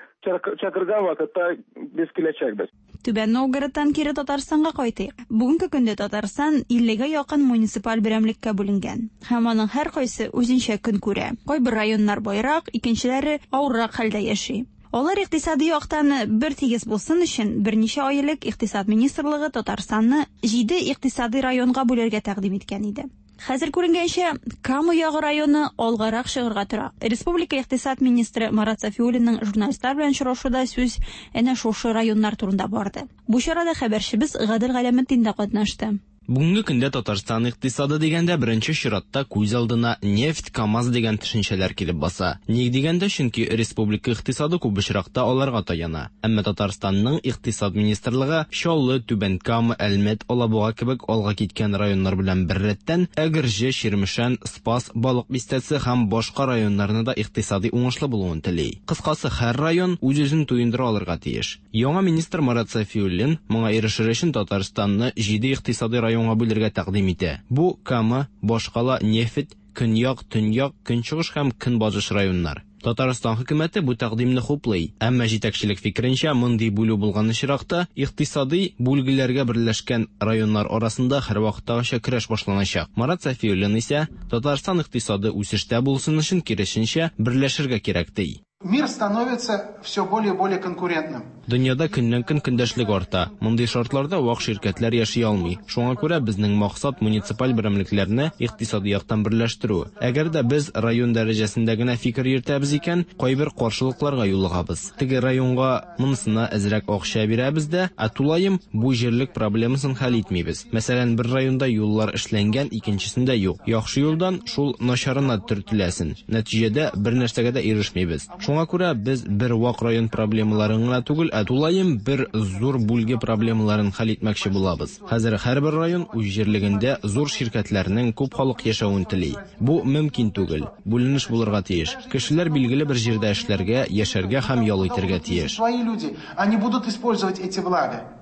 чакырган вакытта без киләчәкбез. Түбән Новгородтан кире Татарстанга кайтыйк. Бүгенге көндә Татарстан иллегә якын муниципаль берәмлеккә бүленгән. Һәм аның һәр кайсы үзенчә көн күрә. Кайбер районнар байрак, икенчеләре авыррак хәлдә яши. Алар икътисади яктан бер тигез булсын өчен берничә ай элек Икътисад министрлыгы Татарстанны җиде икътисади районга бүлергә тәкъдим иткән иде. Хәзер күренгәнчә, Кама ягы районы алгарак чыгарга тора. Республика икътисад министры Марат Сафиуллинның журналистлар белән очрашуда сүз әнә шушы районнар турында барды. Бу чарада хәбәрчебез Гадел Галәметдин дә катнашты. Бүгенге көндә Татарстан икътисады дигәндә беренче чиратта күз алдына нефть, КАМАЗ дигән төшенчәләр килеп баса. Ник дигәндә, чөнки республика икътисады күп очракта аларга таяна. Әмма Татарстанның икътисад министрлыгы Чаллы, Түбән Кама, Әлмәт, Алабуга кебек алга киткән районнар белән беррәттән Әгерҗе, Чирмешән, Спас, Балык Бистәсе һәм башка районнарны да икътисади уңышлы булуын тели. Кыскасы, һәр район үз-үзен туендыра алырга тиеш. Яңа министр Марат Сафиуллин моңа ирешер өчен Татарстанны җиде икътисади район бүлергә тәкъдим итә. Бу Кама, башкала, нефть, көньяк, төньяк, көнчыгыш һәм көнбатыш районнар. Татарстан хөкүмәте бу тәкъдимне хуплый. Әмма җитәкчелек фикеренчә, мондый бүлү булган очракта икътисади бүлгеләргә берләшкән районнар арасында һәрвакыттагыча көрәш башланачак. Марат Сафиуллин исә Татарстан икътисады үсештә булсын өчен киресенчә берләшергә кирәк ди. Мир становится все более и более конкурентным. Дөньяда көннән-көн көндәшлек арта. Мондый шартларда вак ширкәтләр яши алмый. Шуңа күрә безнең максат муниципаль берәмлекләрне икътисади яктан берләштерү. Әгәр дә без район дәрәҗәсендә генә фикер йөртәбез икән, кайбер каршылыкларга юлыгабыз. Теге районга монысына әзрәк акча бирәбез дә, ә тулаем бу җирлек проблемасын хәл итмибез. Мәсәлән, бер районда юллар эшләнгән, икенчесендә юк. Яхшы юлдан шул начарына төртеләсен. Нәтиҗәдә бер нәрсәгә дә ирешмибез. Шуңа күрә без бер вак район проблемаларын гына түгел, ә тулаем бер зур бүлге проблемаларын хәл итмәкче булабыз. Хәзер һәрбер район үз җирлегендә зур ширкәтләрнең күп халык яшәвен тели. Бу мөмкин түгел. Бүленеш булырга тиеш. Кешеләр билгеле бер җирдә эшләргә, яшәргә һәм ял итәргә тиеш. Свои люди, они будут использовать эти блага.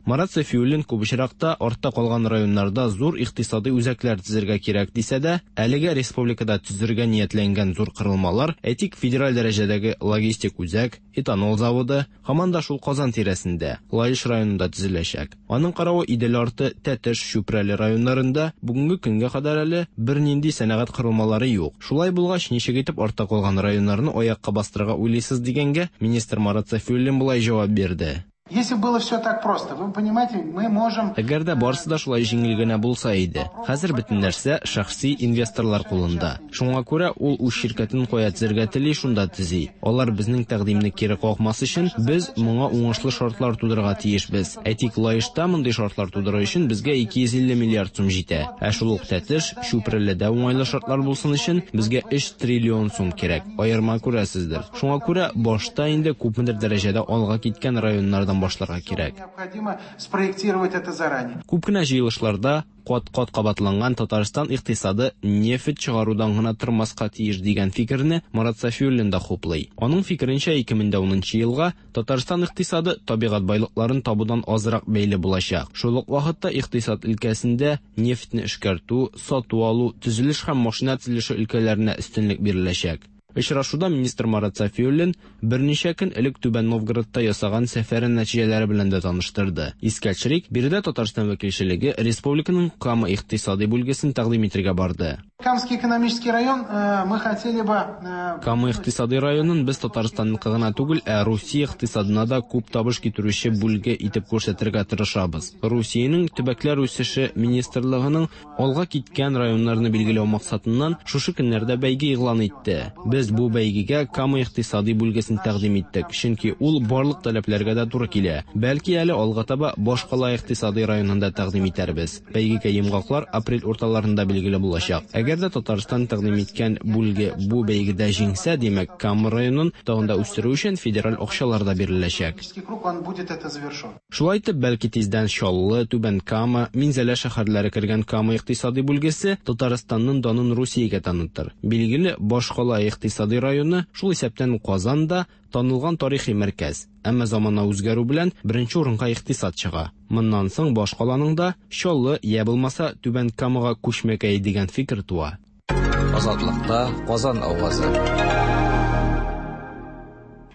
Марат Сафиуллин күп очракта артта калган районнарда зур икътисади үзәкләр төзергә кирәк дисә дә, әлегә республикада төзергә ниятләнгән зур корылмалар, әйтик, федераль дәрәҗәдәге логистик үзәк, этанол заводы, һаман да шул Казан тирәсендә, Лаеш районында төзеләчәк. Аның каравы Идел арты, Тәтеш, Чүпрәле районнарында бүгенге көнгә кадәр әле бернинди сәнәгать корылмалары юк. Шулай булгач, ничек итеп артта калган районнарны аякка бастырырга уйлыйсыз дигәнгә, министр Марат Сафиуллин болай җавап бирде. Если было все так просто, вы понимаете, мы можем... Әгәр дә барысы да шулай җиңел генә булса иде. Хәзер бөтен нәрсә шәхси инвесторлар кулында. Шуңа күрә ул үз ширкәтен кая төзергә тели, шунда төзи. Алар безнең тәкъдимне кире какмас өчен без моңа уңышлы шартлар тудырырга тиешбез. Әйтик, Лаешта мондый шартлар тудыру өчен безгә ике йөз илле миллиард сум җитә. Ә шул ук Тәтеш, Чүпрәледә уңайлы шартлар булсын өчен безгә өч триллион сум кирәк. Аерма күрәсездер. Шуңа күрә башта инде күпмедер дәрәҗәдә алга киткән районнардан алдан башларга кирәк. Необходимо спроектировать это заранее. Күп кенә җыелышларда кат-кат кабатланган Татарстан икътисады нефть чыгарудан гына тормаска тиеш дигән фикерне Марат Сафиуллин да хуплый. Аның фикеренчә, ике мең дә унынчы елга Татарстан икътисады табигать байлыкларын табудан азрак бәйле булачак. Шул ук вакытта икътисад өлкәсендә нефтьне эшкәртү, сату алу, төзелеш һәм машина төзелеше өлкәләренә өстенлек биреләчәк. Очрашуда министр Марат Сафиуллин берничә көн элек Түбән Новгородта ясаган сәфәре нәтиҗәләре белән дә таныштырды. Искә төшерик, биредә Татарстан вәкилчелеге республиканың Кама икътисади бүлгесен тәкъдим итәргә барды. Камский экономический район, э, мы хотели бы, э, Кама икътисади районын без Татарстанныкы гына түгел, ә Русия икътисадына да күп табыш китерүче бүлге итеп күрсәтергә тырышабыз. Русиянең төбәкләр үсеше министрлыгының алга киткән районнарны билгеләү максатыннан шушы көннәрдә бәйге игълан итте. Без бу бәйгегә Кама икътисади бүлгесен тәкъдим иттек, чөнки ул барлык таләпләргә дә туры килә. Бәлки әле алга таба башкала икътисади районында тәкъдим итәрбез. Бәйгегә йомгаклар апрель урталарында билгеле булачак. Әгәр дә Татарстан тәкъдим иткән бүлге бу бәйгедә җиңсә, димәк, Кама районын тагын да үстерү өчен федераль акчалар да биреләчәк. Круг, он будет это завершен. Шулай итеп, бәлки тиздән Чаллы, Түбән Кама, Минзәлә шәһәрләре кергән Кама икътисади бүлгесе Татарстанның данын Русиягә танытыр. Билгеле, башкала икътисади районы, шул исәптән Казан да танылган тарихи мәркәз. Әмма замана үзгәрү белән беренче урынга икътисад чыга. Моннан соң башкаланың да Чаллы я булмаса Түбән Камага күчмәкәй дигән фикер туа. Азатлыкта Казан авазы.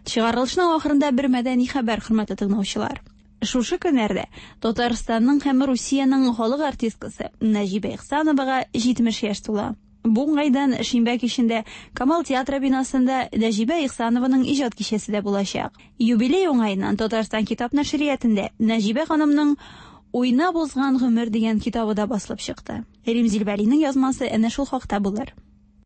Чыгарылышның ахырында бер мәдәни хәбәр, хөрмәтле тыңлаучылар. Шушы көннәрдә Татарстанның һәм Русиянең халык артисткасы Нәҗибә Ихсановага җитмеш яшь тула. Бу уңайдан шимбә кичендә Камал театры бинасында Нәҗибә Ихсанованың иҗат кичәсе дә булачак. Юбилей уңаеннан Татарстан китап нәшриятендә Нәҗибә ханымның Уйнап узган гомер дигән китабы да басылып чыкты. Рим Зилбәлинең язмасы әнә шул хакта булыр.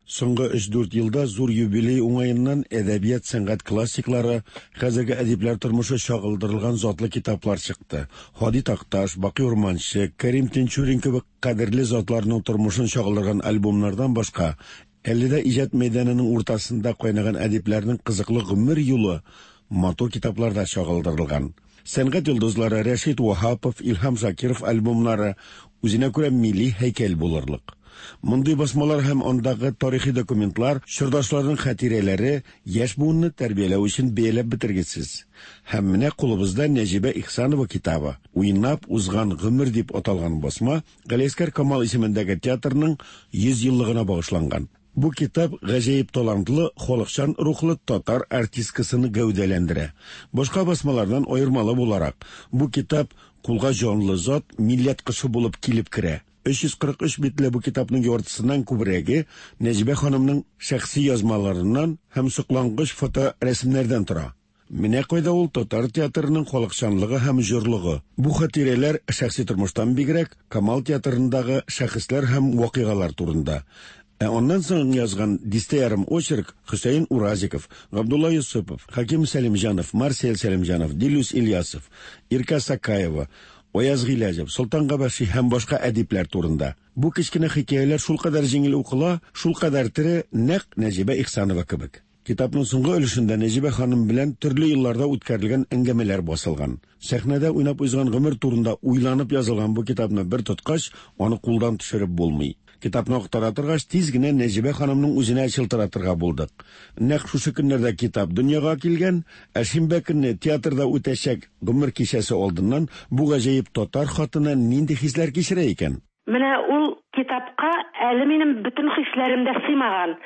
Соңгы өч-дүрт елда зур юбилей уңаеннан әдәбият сәнгать классиклары, хәзерге әдипләр тормышы чагылдырылган затлы китаплар чыкты. Һади Такташ, Бакый Урманче, Кәрим Тинчурин кебек кадерле затларның тормышын чагылдырган альбомнардан башка, әле дә иҗат мәйданының уртасында кайнаган әдипләрнең кызыклы гомер юлы матур китапларда чагылдырылган. Сәнгать йолдызлары Рәшит Ваһапов, Илһам Шакиров альбомнары үзенә күрә милли һәйкәл булырлык. Мондый басмалар һәм андагы тарихи документлар чордашларның хатирәләре яшь буынны тәрбияләү өчен бәяләп бетергесез. Һәм менә кулыбызда Нәҗибә Ихсанова китабы Уйнап узган гомер дип аталган басма Галиәсгар Камал исемендәге театрның йөз еллыгына багышланган. Бу китап гаҗәеп талантлы, халыкчан рухлы татар артисткасын гәүдәләндерә. Башка басмалардан аермалы буларак, бу китап кулга җанлы зат, милләт кышы булып килеп керә. Өч йөз кырык өч битле бу китапның яртысыннан күбрәге Нәҗибә ханымның шәхси язмаларыннан һәм соклангыч фоторәсемнәрдән тора. Менә кайда ул татар театрының халыкчанлыгы һәм җорлыгы. Бу хатирәләр шәхси тормыштан бигрәк Камал театрындагы шәхесләр һәм вакыйгалар турында. Ә аннан соң язган дистә ярым очерк Хөсәен Уразиков, Габдулла Юсупов, Хаким Сәлимҗанов, Марсель Сәлимҗанов, Дилүс Ильясов, Ирка Сакаева, Аяз Гыйләҗев, Солтан Габәши һәм башка әдипләр турында. Бу кечкенә хикәяләр шулкадәр җиңел укыла, шулкадәр тере, нәкъ Нәҗибә Ихсанова кебек. Китапның соңгы өлешендә Нәҗибә ханым белән төрле елларда үткәрелгән әңгәмәләр басылган. Сәхнәдә уйнап узган гомер турында уйланып язылган бу китапны бер тоткач, аны кулдан төшереп булмый. Китапны актара торгач, тиз генә Нәҗибә ханымның үзенә чылтыратырга булдык. Нәкъ шушы көннәрдә китап дөньяга килгән, ә шимбә көнне театрда үтәчәк гомер кичәсе алдыннан бу гаҗәеп татар хатыны нинди хисләр кичерә икән? Менә ул китапка әле минем бөтен хисләрем дә сыймаган.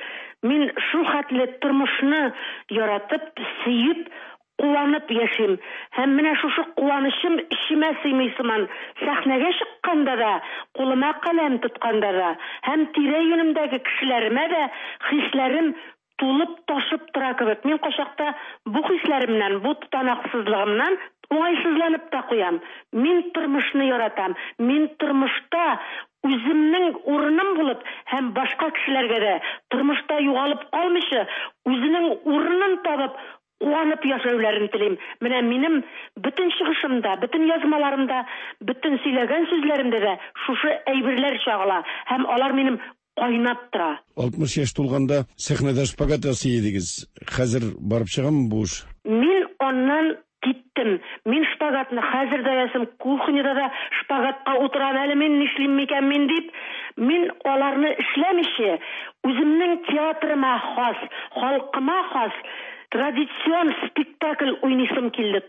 Мин шул хәтле тормышны яратып, сөеп, куанып яшим. Һәм менә шушы куанычым эчемә сыймый сыман. Сәхнәгә чыкканда да, кулыма каләм тотканда да, һәм тирә-юнемдәге кешеләремә дә хисләрем тулып ташып тора кебек. Мин кайчакта бу хисләремнән, бу тотанаксызлыгымнан уңайсызланып та куям. Мин тормышны яратам. Мин тормышта үземнең урыным булып һәм башка кешеләргә дә тормышта югалып калмыйча, үзенең урынын табып куанып яшәүләрен телим. Менә минем бөтен чыгышымда, бөтен язмаларымда, бөтен сөйләгән сүзләремдә дә шушы әйберләр чагыла һәм алар минем кайнап тора. Алтмыш яшь тулганда сәхнәдә шпагат ясый идегез. Хәзер барып чыгамы бу эш? Мин аннан киттем. Мин шпагат шпагатны хәзер дә ясыйм, кухняда да шпагатка утырам әле мин, нишлим микән мин дип, мин аларны эшләмичә, үземнең театрыма хас, халкыма хас традицион спектакль уйныйсым килде.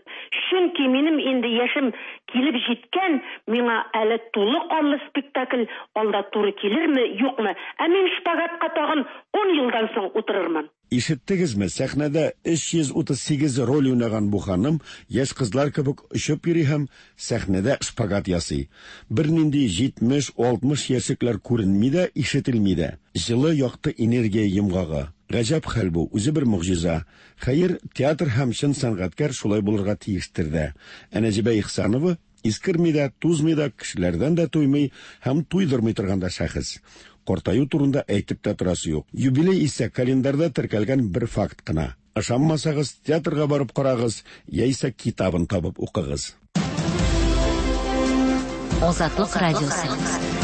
Чөнки минем инде яшем килеп җиткән, миңа әле тулы канлы спектакль алда туры килерме, юкмы? Ә мин шпагатка тагын ун елдан соң утырырмын. Ишеттегезме, сәхнәдә өч йөз утыз сигез роль уйнаган бу ханым яшь кызлар кебек очып йөри һәм сәхнәдә шпагат ясый. Бернинди җитмеш, алтмыш яшьлекләр күренми дә, ишетелми дә. Җылы, якты энергия йомгагы. Гаҗәп хәл бу, үзе бер могҗиза. Хәер, театр һәм чын сәнгатькәр шулай булырга тиештер дә. Ә Нәҗибә Ихсанова искерми дә, тузмый да, кешеләрдән дә туймый һәм туйдырмый торган да шәхес. Картаю турында әйтеп тә торасы юк. Юбилей исә календарьда теркәлгән бер факт кына. Ышанмасагыз, театрга барып карагыз, яисә китабын табып укыгыз. Азатлык радиосы.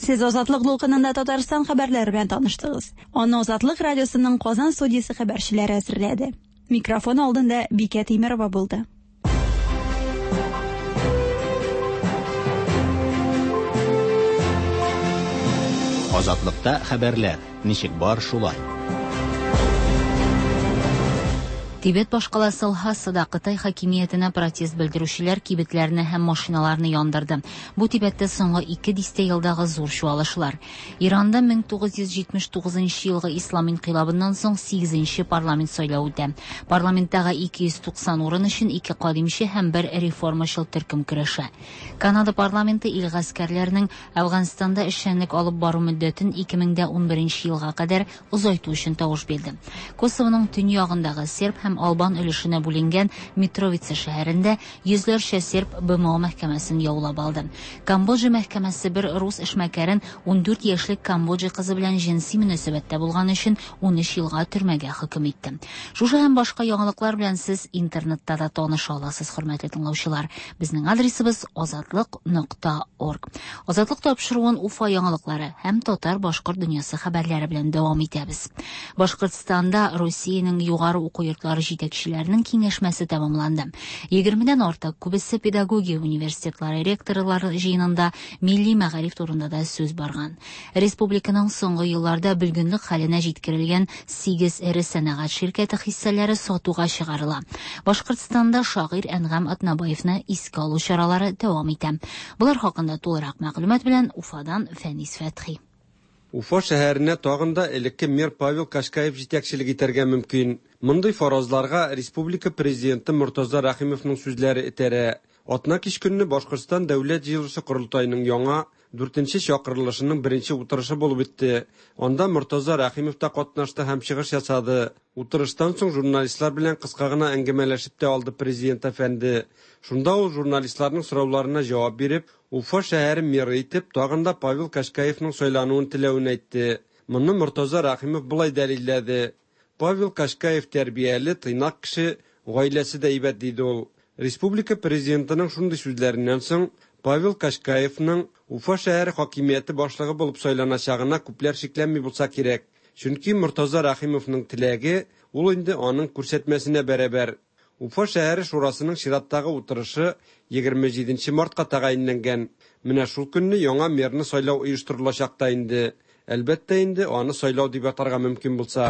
Сез Азатлык дулкынында Татарстан хәбәрләре белән таныштыгыз. Аны Азатлык радиосының Казан студиясе хәбәрчеләре әзерләде. Микрофон алдында Бикә Тимерова булды. Азатлыкта хәбәрләр ничек бар шулай. Тибет башкаласы Лхасада Кытай хакимиятенә протест белдерүчеләр кибетләрне һәм машиналарны яндырды. Бу Тибеттә соңгы ике дистә елдагы зур чуалышлар. Иранда мең тугыз йөз җитмеш тугызынчы елгы ислам инкыйлабыннан соң сигезенче парламент сайлавы үтә. Парламенттагы ике йөз туксан урын өчен ике кадимче һәм бер реформачыл төркем көрәшә. Канада парламенты ил гаскәрләренең Әфганстанда эшчәнлек алып бару мөддәтен ике мең дә унберенче елга кадәр озайту өчен тавыш бирде. Косовоның төньягындагы серб һәм Албан өлешенә бүленгән Митровица шәһәрендә йөзләрчә серб Б М О мәхкәмәсен яулап алды. Камбоджа мәхкәмәсе бер рус эшмәкәрен ундүрт яшьлек Камбоджа кызы белән җенси мөнәсәбәттә булган өчен унөч елга төрмәгә хөкем итте. Шушы һәм башка яңалыклар белән сез интернетта да таныша аласыз, хөрмәтле тыңлаучылар. Безнең адресыбыз азатлык нокта орг. Азатлык тапшыруын Уфа яңалыклары һәм татар-башкорт дөньясы хәбәрләре белән дәвам итәбез. Башкортстанда Русиянең югары уку йортлары җитәкчеләренең киңәшмәсе тәмамланды. Егермедән артык күбесе педагогия университетлары ректорлары җыенында милли мәгариф турында да сүз барган. Республиканың соңгы елларда бөлгенлек хәленә җиткерелгән сигез эре сәнәгать ширкәте хиссәләре сатуга чыгарыла. Башкортстанда шагыйрь Әнгам Атнабаевны искә алу чаралары дәвам итә. Булар хакында тулырак мәгълүмат белән Уфадан Фәнис Фәтхи. Уфа шәһәренә тагын да элекке мэр Павел Кашкаев җитәкчелек итәргә мөмкин. Мондый фаразларга республика президенты Мортаза Рәхимовның сүзләре этәрә. Атна кич көнне Башкортстан дәүләт җыелышы корылтаеның яңа дүртенче чакырылышының беренче утырышы булып үтте. Анда Мортаза Рәхимов та катнашты һәм чыгыш ясады. Утырыштан соң журналистлар белән кыска гына әңгәмәләшеп тә алды президент әфәнде. Шунда ул журналистларның сорауларына җавап биреп, Уфа шәһәре мэры итеп тагын да Павел Кашкаевның сайлануын теләвен әйтте. Моны Мортаза Рәхимов болай дәлилләде. Павел Кашкаев тәрбияле, тыйнак кеше, гаиләсе дә әйбәт, диде ул. Республика президентының шундый сүзләреннән соң Павел Кашкаевның Уфа шәһәре хакимияте башлыгы булып сайланачагына күпләр шикләнми булса кирәк. Чөнки Мортаза Рәхимовның теләге ул инде аның күрсәтмәсенә бәрабәр. Уфа шәһәре шурасының чираттагы утырышы егерме җиденче мартка тәгаенләнгән. Менә шул көнне яңа мэрны сайлау оештырылачак та инде. Әлбәттә инде аны сайлау дип атарга мөмкин булса.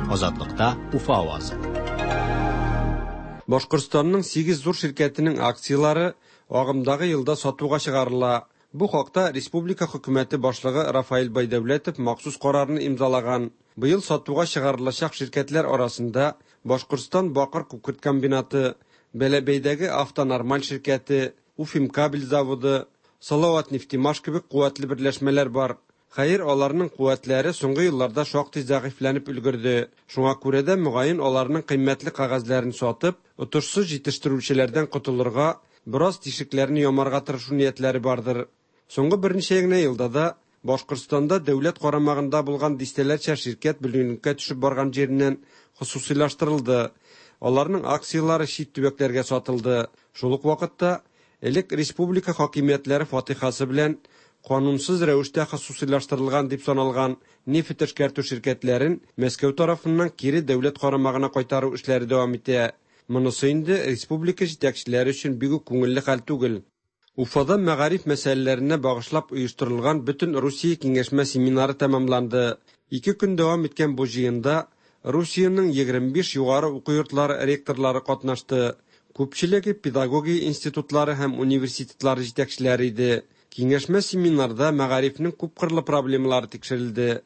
Азатлыкта Уфа авазы. Башкортстанның сигез зур ширкәтенең акцияләре агымдагы елда сатуга чыгарыла. Бу хакта республика хөкүмәте башлыгы Рафаэль Байдәүләтов махсус карарны имзалаган. Быел сатуга чыгарылачак ширкәтләр арасында Башкортстан бакыр күкерт комбинаты, Бәләбәйдәге Автонормаль ширкәте, Уфимкабель заводы, Салават нефтемаш кебек куәтле берләшмәләр бар. Хәер, аларның куәтләре соңгы елларда шактый зәгыйфьләнеп өлгерде. Шуңа күрә дә мөгаен аларның кыйммәтле кәгазьләрен сатып, отышсыз җитештерүчеләрдән котылырга, бераз тишекләрне ямарга тырышу ниятләре бардыр. Соңгы берничә генә елда да Башкортстанда дәүләт карамагында булган дистәләрчә ширкәт бөлгенлеккә төшеп барган җиреннән хосусыйлаштырылды. Аларның акцияләре чит төбәкләргә сатылды. Шул ук вакытта элек республика хакимиятләре фатихасы белән канунсыз рәвештә хосусыйлаштырылган дип саналган нефть эшкәртү ширкәтләрен Мәскәү тарафыннан кире дәүләт карамагына кайтару эшләре дәвам итә. Монысы инде республика җитәкчеләре өчен бик үк күңелле хәл түгел. Уфада мәгариф мәсьәләләренә багышлап оештырылган бөтен Русия киңәшмә семинары тәмамланды. Ике көн дәвам иткән бу җыенда Русиянең егерме биш югары уку йортлары ректорлары катнашты. Күпчелеге педагогия институтлары һәм университетлары җитәкчеләре иде. Киңәшмә семинарда мәгарифнең күпкырлы проблемалары тикшерелде.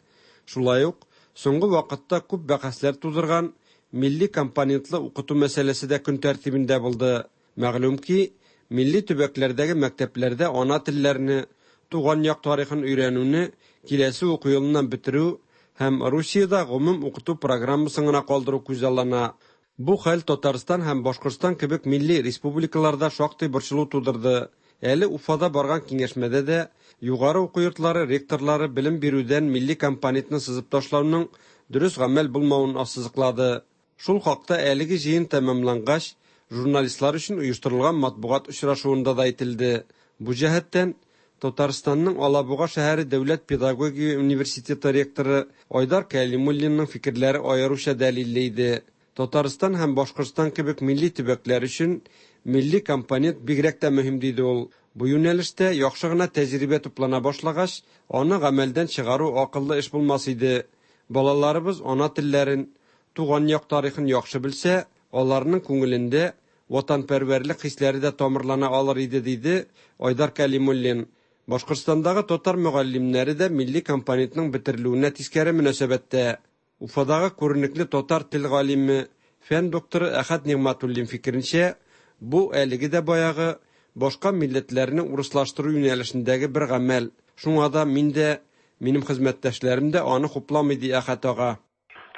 Шулай ук соңгы вакытта күп бәхәсләр тудырган милли компонентлы укыту мәсьәләсе дә көн тәртибендә булды. Мәгълүм ки, милли төбәкләрдәге мәктәпләрдә ана телләрне, туган як тарихын өйрәнүне киләсе уку елыннан бетерү һәм Русиядә гомум укыту программасын гына калдыру күзаллана. Бу хәл Татарстан һәм Башкортстан кебек милли республикаларда шактый борчылу тудырды. Әле Уфада барган киңәшмәдә дә югары уку йортлары ректорлары белем бирүдән милли компонентны сызып ташлауның дөрес гамәл булмавын ассызыклады. Шул хакта әлеге җыен тәмамлангач, журналистлар өчен оештырылган матбугат очрашуында да әйтелде. Бу җәһәттән Татарстанның Алабуга шәһәре дәүләт педагогия университеты ректоры Айдар Кәлимуллинның фикерләре аеруча дәлилле иде. Татарстан һәм Башкортстан кебек милли төбәкләр өчен милли компонент бигрәк тә мөһим, диде ул. Бу юнәлештә яхшы гына тәҗрибә туплана башлагач, аны гамәлдән чыгару акыллы эш булмас иде. Балаларыбыз ана телләрен, туган як тарихын яхшы белсә, аларның күңелендә ватанпәрвәрлек хисләре дә тамырлана алыр иде, диде Айдар Кәлимуллин. Башкортстандагы татар мөгаллимнәре дә милли компонентның бетерелүенә тискәре мөнәсәбәттә. Уфадагы күренекле татар тел галиме, фән докторы Әхәт Нигъмәтуллин фикеренчә, бу әлеге дә баягы башка милләтләрне урыслаштыру юнәлешендәге бер гамәл. Шуңа да мин дә, минем хезмәттәшләрем дә аны хупламый, ди Әхәт ага.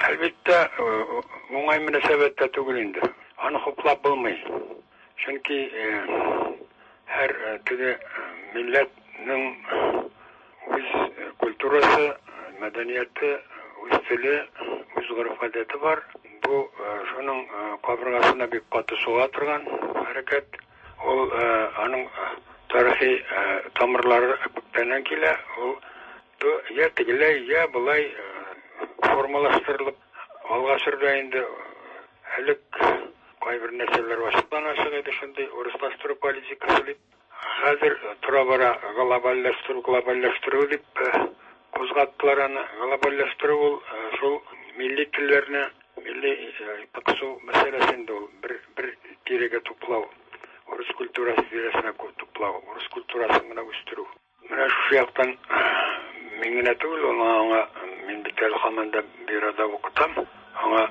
Әлбәттә, уңай мөнәсәбәттә түгел инде. Аны хуплап булмый. Чөнки һәр теге милләтнең үз культурасы, мәдәнияте, үз теле, үз гореф-гадәте бар. Бу шуның кабыргасына бик каты суга торган хәрәкәт. Ул аның тарихи тамырлары күптәннән килә. Ул я тегеләй, я болай формалаштырылып алга сөрелә инде. Элек кайбер нәрсәләр ачыктан-ачык иде, шундый урыслаштыру политикасы дип. Хәзер тора-бара глобальләштерү, глобальләштерү дип кузгаттылар аны. Глобальләштерү ул шул милли телләрне, милли кысу мәсьәләсе инде ул, бер бер тирәгә туплау, урыс культурасы тирәсенә туплау, урыс культурасын гына үстерү. Менә шушы яктан мин генә түгел, аңа мин бит әле һаман да бюрода укытам, аңа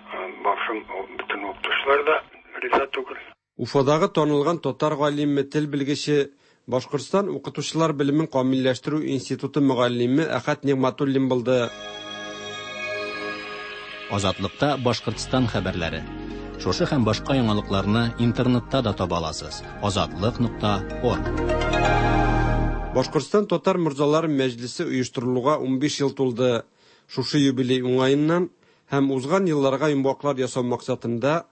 башым бөтен укытучылар да риза түгел. Уфадагы танылган татар галиме, тел белгече, Башкортстан укытучылар белемен камилләштерү институты мөгаллиме Әхәт Нигъмәтуллин булды. Азатлыкта Башкортстан хәбәрләре. Шушы һәм башка яңалыкларны интернетта да таба аласыз. азатлык нокта орг. Башкортстан татар морзалары мәҗлесе оештырылуга унбиш ел тулды. Шушы юбилей уңаеннан һәм узган елларга йомгаклар ясау максатында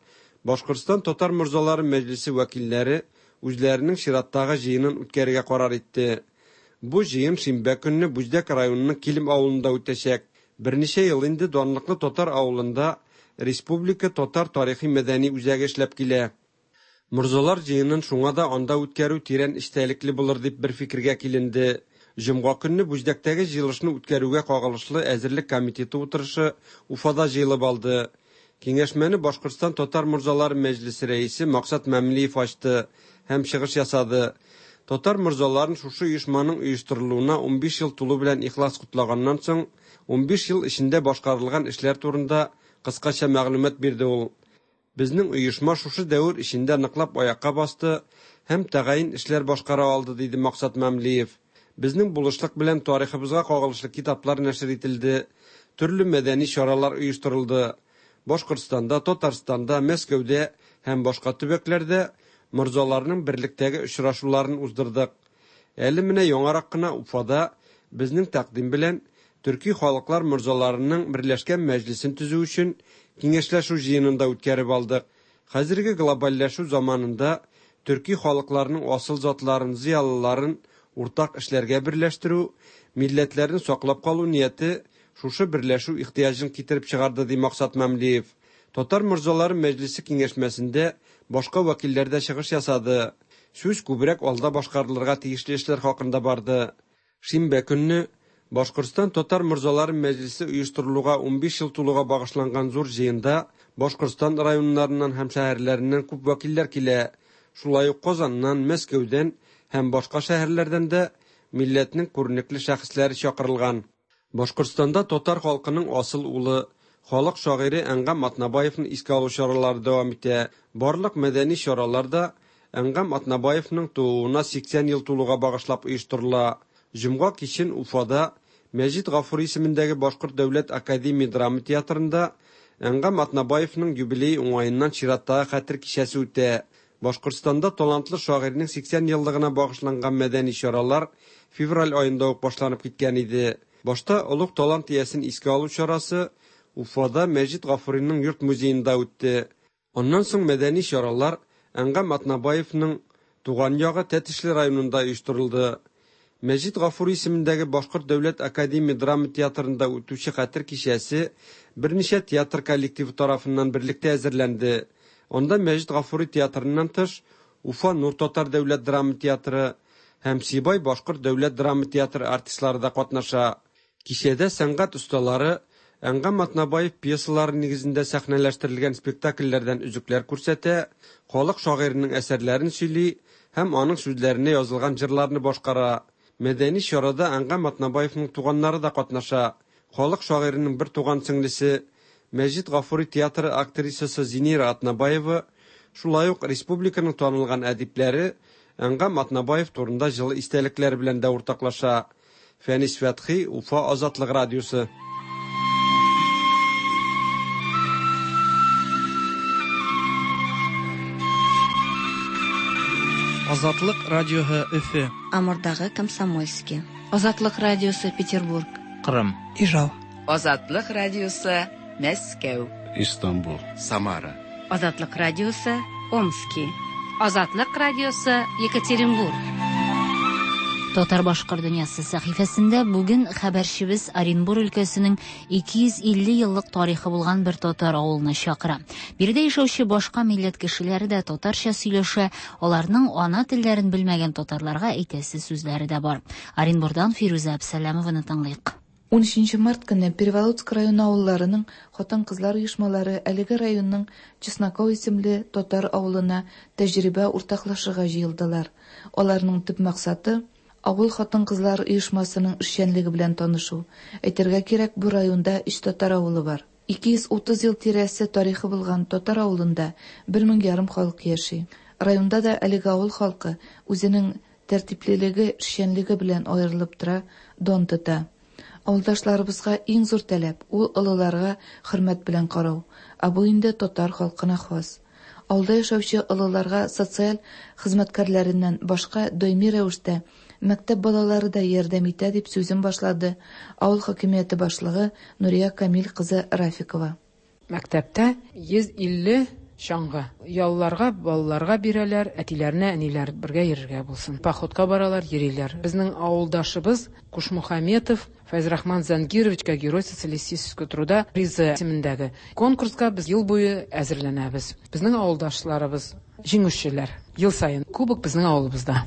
Башкортстан татар морзалары мәҗлесе вәкилләре үзләренең чираттагы җыенын үткәрергә карар итте. Бу җыен шимбә көнне Бүздәк районының Килем авылында үтәчәк. Берничә ел инде данлыклы татар авылында Республика татар тарихи мәдәни үзәге эшләп килә. Морзалар җыенын шуңа да анда үткәрү тирән эчтәлекле булыр дип бер фикергә киленде. Җомга көнне Бүздәктәге җыелышны үткәрүгә кагылышлы әзерлек комитеты утырышы Уфада җыелып алды. Киңәшмәне Башкортстан татар морзалары мәҗлесе рәисе Максат Мәмлиев ачты һәм чыгыш ясады. Татар морзаларын шушы оешманың оештырылуына унбиш ел тулу белән ихлас котлаганнан соң, унбиш ел эчендә башкарылган эшләр турында кыскача мәгълүмат бирде ул. Безнең оешма шушы дәвер эчендә ныклап аякка басты һәм тәгаен эшләр башкара алды, диде Максат Мәмлиев. Безнең булышлык белән тарихыбызга кагылышлы китаплар нәшер ителде, төрле мәдәни чаралар оештырылды. Башкортстанда, Татарстанда, Мәскәүдә һәм башка төбәкләрдә морзаларның берлектәге очрашуларын уздырдык. Әле менә яңарак кына Уфада безнең тәкъдим белән төрки халыклар морзаларының берләшкән мәҗлесен төзү өчен киңәшләшү җыенын да үткәреп алдык. Хәзерге глобальләшү заманында төрки халыкларның асыл затларын, зыялыларын уртак эшләргә берләштерү, милләтләрне саклап калу нияте шушы берләшү ихтыяҗын китереп чыгарды, ди Максат Мәмлиев. Татар морзалары мәҗлесе киңәшмәсендә башка вәкилләр дә чыгыш ясады. Сүз күбрәк алда башкарылырга тиешле эшләр хакында барды. Шимбә көнне Башкортстан татар морзалары мәҗлесе оештырылуга унбиш ел тулуга багышланган зур җыенда Башкортстан районнарыннан һәм шәһәрләреннән күп вәкилләр килә. Шулай ук Казаннан, Мәскәүдән һәм башка шәһәрләрдән дә милләтнең күренекле шәхесләре чакырылган. Башкортстанда татар халкының асыл улы, халык шагыйре Әнгам Атнабаевны искә алу чаралары дәвам итә. Барлык мәдәни чаралар да Әнгам Атнабаевның тууына сиксән ел тулуга багышлап оештырыла. Җомга кичен Уфада Мәҗит Гафури исемендәге Башкорт дәүләт академия драма театрында Әнгам Атнабаевның юбилей уңаеннан чираттагы хәтер кичәсе үтә. Башкортстанда талантлы шагыйрьнең сиксән еллыгына багышланган мәдәни чаралар февраль аенда ук башланып киткән иде. Башта олуг талант иясен искә алу чарасы Уфада Мәҗит Гафуриның йорт музеенда үтте. Аннан соң мәдәни чаралар Әнгам Атнабаевның туган ягы Тәтешле районында оештырылды. Мәҗит Гафури исемендәге Башкорт дәүләт академия драма театрында үтүче хәтер кичәсе берничә театр коллективы тарафыннан берлектә әзерләнде. Анда Мәҗит Гафури театрыннан тыш Уфа Нур татар дәүләт драма театры һәм Сибай Башкорт дәүләт драма театры артистлары да катнаша. Кичәдә сәнгать осталары Әнгам Атнабаев пьесалары нигезендә сәхнәләштерелгән спектакльләрдән өзекләр күрсәтә, халык шагыйренең әсәрләрен сөйли һәм аның сүзләренә язылган җырларны башкара. Мәдәни чарада Әнгам Атнабаевның туганнары да катнаша. Халык шагыйренең бер туган сеңлесе Мәҗит Гафури театры актрисасы Зинира Атнабаева, шулай ук республиканың танылган әдипләре Әнгам Атнабаев турында җылы истәлекләр белән дә уртаклаша. Фәнис Фәтхи, Уфа Азатлык радиосы. Азатлык радиоһы Өфе. Амурдагы Комсомольский. Азатлык радиосы Петербург. Кырым. Ижау. Азатлык радиосы Мәскәү. Истанбул. Самара. Азатлык радиосы Омски. Азатлык радиосы Екатеринбург. Татар башкорт дөньясы сәхифәсендә бүген хәбәрчебез Оренбур өлкәсенең ике йөз илле еллык тарихы булган бер татар авылына чакыра. Биредә яшәүче башка милләт кешеләре дә татарча сөйләшә, аларның ана телләрен белмәгән татарларга әйтәсе сүзләре дә бар. Оренбурдан Фирүзә Әбсәләмованы тыңлыйк. Унөченче март көне Переволоцк районы авылларының хатын-кызлар оешмалары әлеге районның Чесноков исемле татар авылына тәҗрибә уртаклашырга җыелдылар. Аларның төп максаты авыл хатын-кызлар оешмасының эшчәнлеге белән танышу. Әйтергә кирәк, бу районда өч татар авылы бар. ике йөз утыз ел тирәсе тарихы булган татар авылында бер мең ярым халык яши. Районда да әлеге авыл халкы үзенең тәртиплелеге, эшчәнлеге белән аерылып тора, дан тота. Авылдашларыбызга иң зур таләп ул олыларга хөрмәт белән карау. Ә бу инде татар халкына хас. Авылда яшәүче олыларга социаль хезмәткәрләреннән башка даими рәвештә мәктәп балалары да ярдәм итә, дип сүзен башлады авыл хакимияте башлыгы Нурия Камил кызы Рафикова. Мәктәптә йөз илле чаңгы. Ялларга балаларга бирәләр, әтиләренә, әниләр бергә йөрергә булсын. Походка баралар, йөриләр. Безнең авылдашыбыз Кушмухаметов Фәйзрахман Зангировичка Герой социалистического труда призы исемендәге конкурска без ел буе әзерләнәбез. Безнең авылдашларыбыз җиңүчеләр. Ел саен кубок безнең авылыбызда.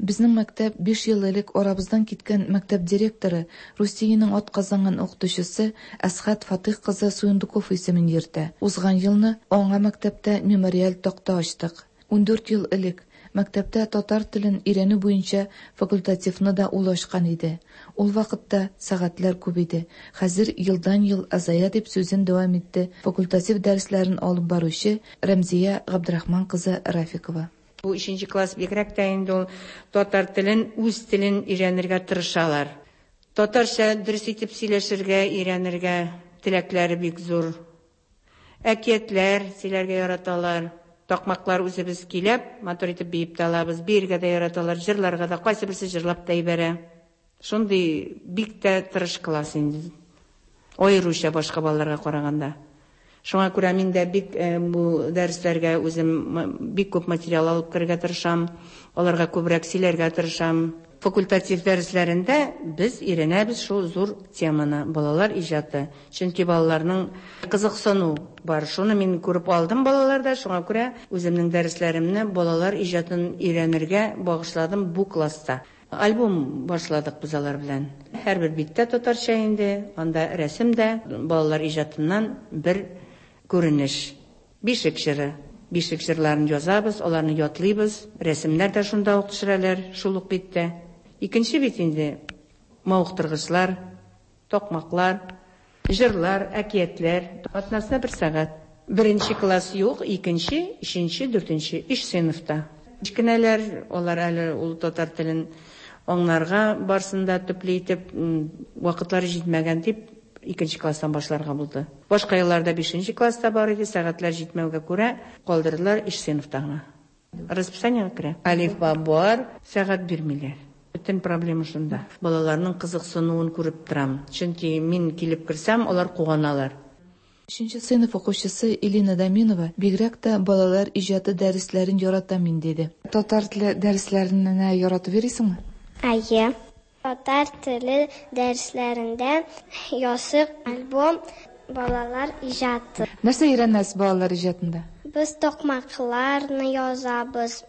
Безнең мәктәп биш ел элек арабыздан киткән мәктәп директоры, Русиянең атказанган укытучысы Әсхәт Фатих кызы Суюндуков исемен йөртә. Узган елны аңа мәктәптә мемориаль такта ачтык. Ундүрт ел элек мәктәптә татар телен өйрәнү буенча факультативны да ул ачкан иде. Ул вакытта сәгатьләр күп иде. Хәзер елдан-ел азая, дип сүзен дәвам итте факультатив дәресләрен алып баручы Рәмзия Габдрахман кызы Рафикова. Бу өченче класс бигрәк тә инде ул татар телен, үз телен өйрәнергә тырышалар. Татарча дөрес итеп сөйләшергә, өйрәнергә теләкләре бик зур. Әкиятләр сөйләргә яраталар. Такмаклар үзебез килеп, матур итеп биеп тә алабыз, биергә дә яраталар, җырларга да, кайсы берсе җырлап та ибәрә. Шундый бик тә тырыш класс инде. Аеруча башка балаларга караганда. Шуңа күрә мин дә бик бу дәресләргә үзем бик күп материал алып керергә тырышам, аларга күбрәк сөйләргә тырышам. Факультатив дәресләрендә без өйрәнәбез шул зур теманы, балалар иҗаты. Чөнки балаларның кызыксыну бар. Шуны мин күреп алдым балаларда, шуңа күрә үземнең дәресләремне балалар иҗатын өйрәнергә багышладым бу класста. Альбом башладык без алар белән. Һәрбер биттә татарча инде, анда рәсем дә, балалар иҗатыннан бер күренеш. Бишек җыры. Бишек җырларын язабыз, аларны ятлыйбыз, рәсемнәр дә шунда ук төшерәләр, шул ук биттә. Икенче бит инде мавыктыргычлар, токмаклар, җырлар, әкиятләр. Атнасына бер сәгать. Беренче класс юк, икенче, өченче, дүртенче, өч сыйныфта. Кечкенәләр, алар әле ул татар телен аңларга барсын да төпле итеп, вакытлары җитмәгән дип, икенче класстан башларга булды. Башка елларда бишенче класста бар иде, сәгатьләр җитмәүгә күрә калдырдылар өч сыйныфта гына. Расписаниега керә. Әлифба бар, сәгать бирмиләр. Бөтен проблема шунда. Балаларның кызыксынуын күреп торам. Чөнки мин килеп керсәм, алар куаналар. Өченче сыйныф укучысы Элина Даминова бигрәк тә балалар иҗаты дәресләрен ярата мин диде. Татар теле дәресләренә яратып йөрисеңме? Әйе. Татар теле дәресләрендә ясык альбом балалар иҗаты. Нәрсә өйрәнәсез балалар иҗатында? Без токмакларны язабыз,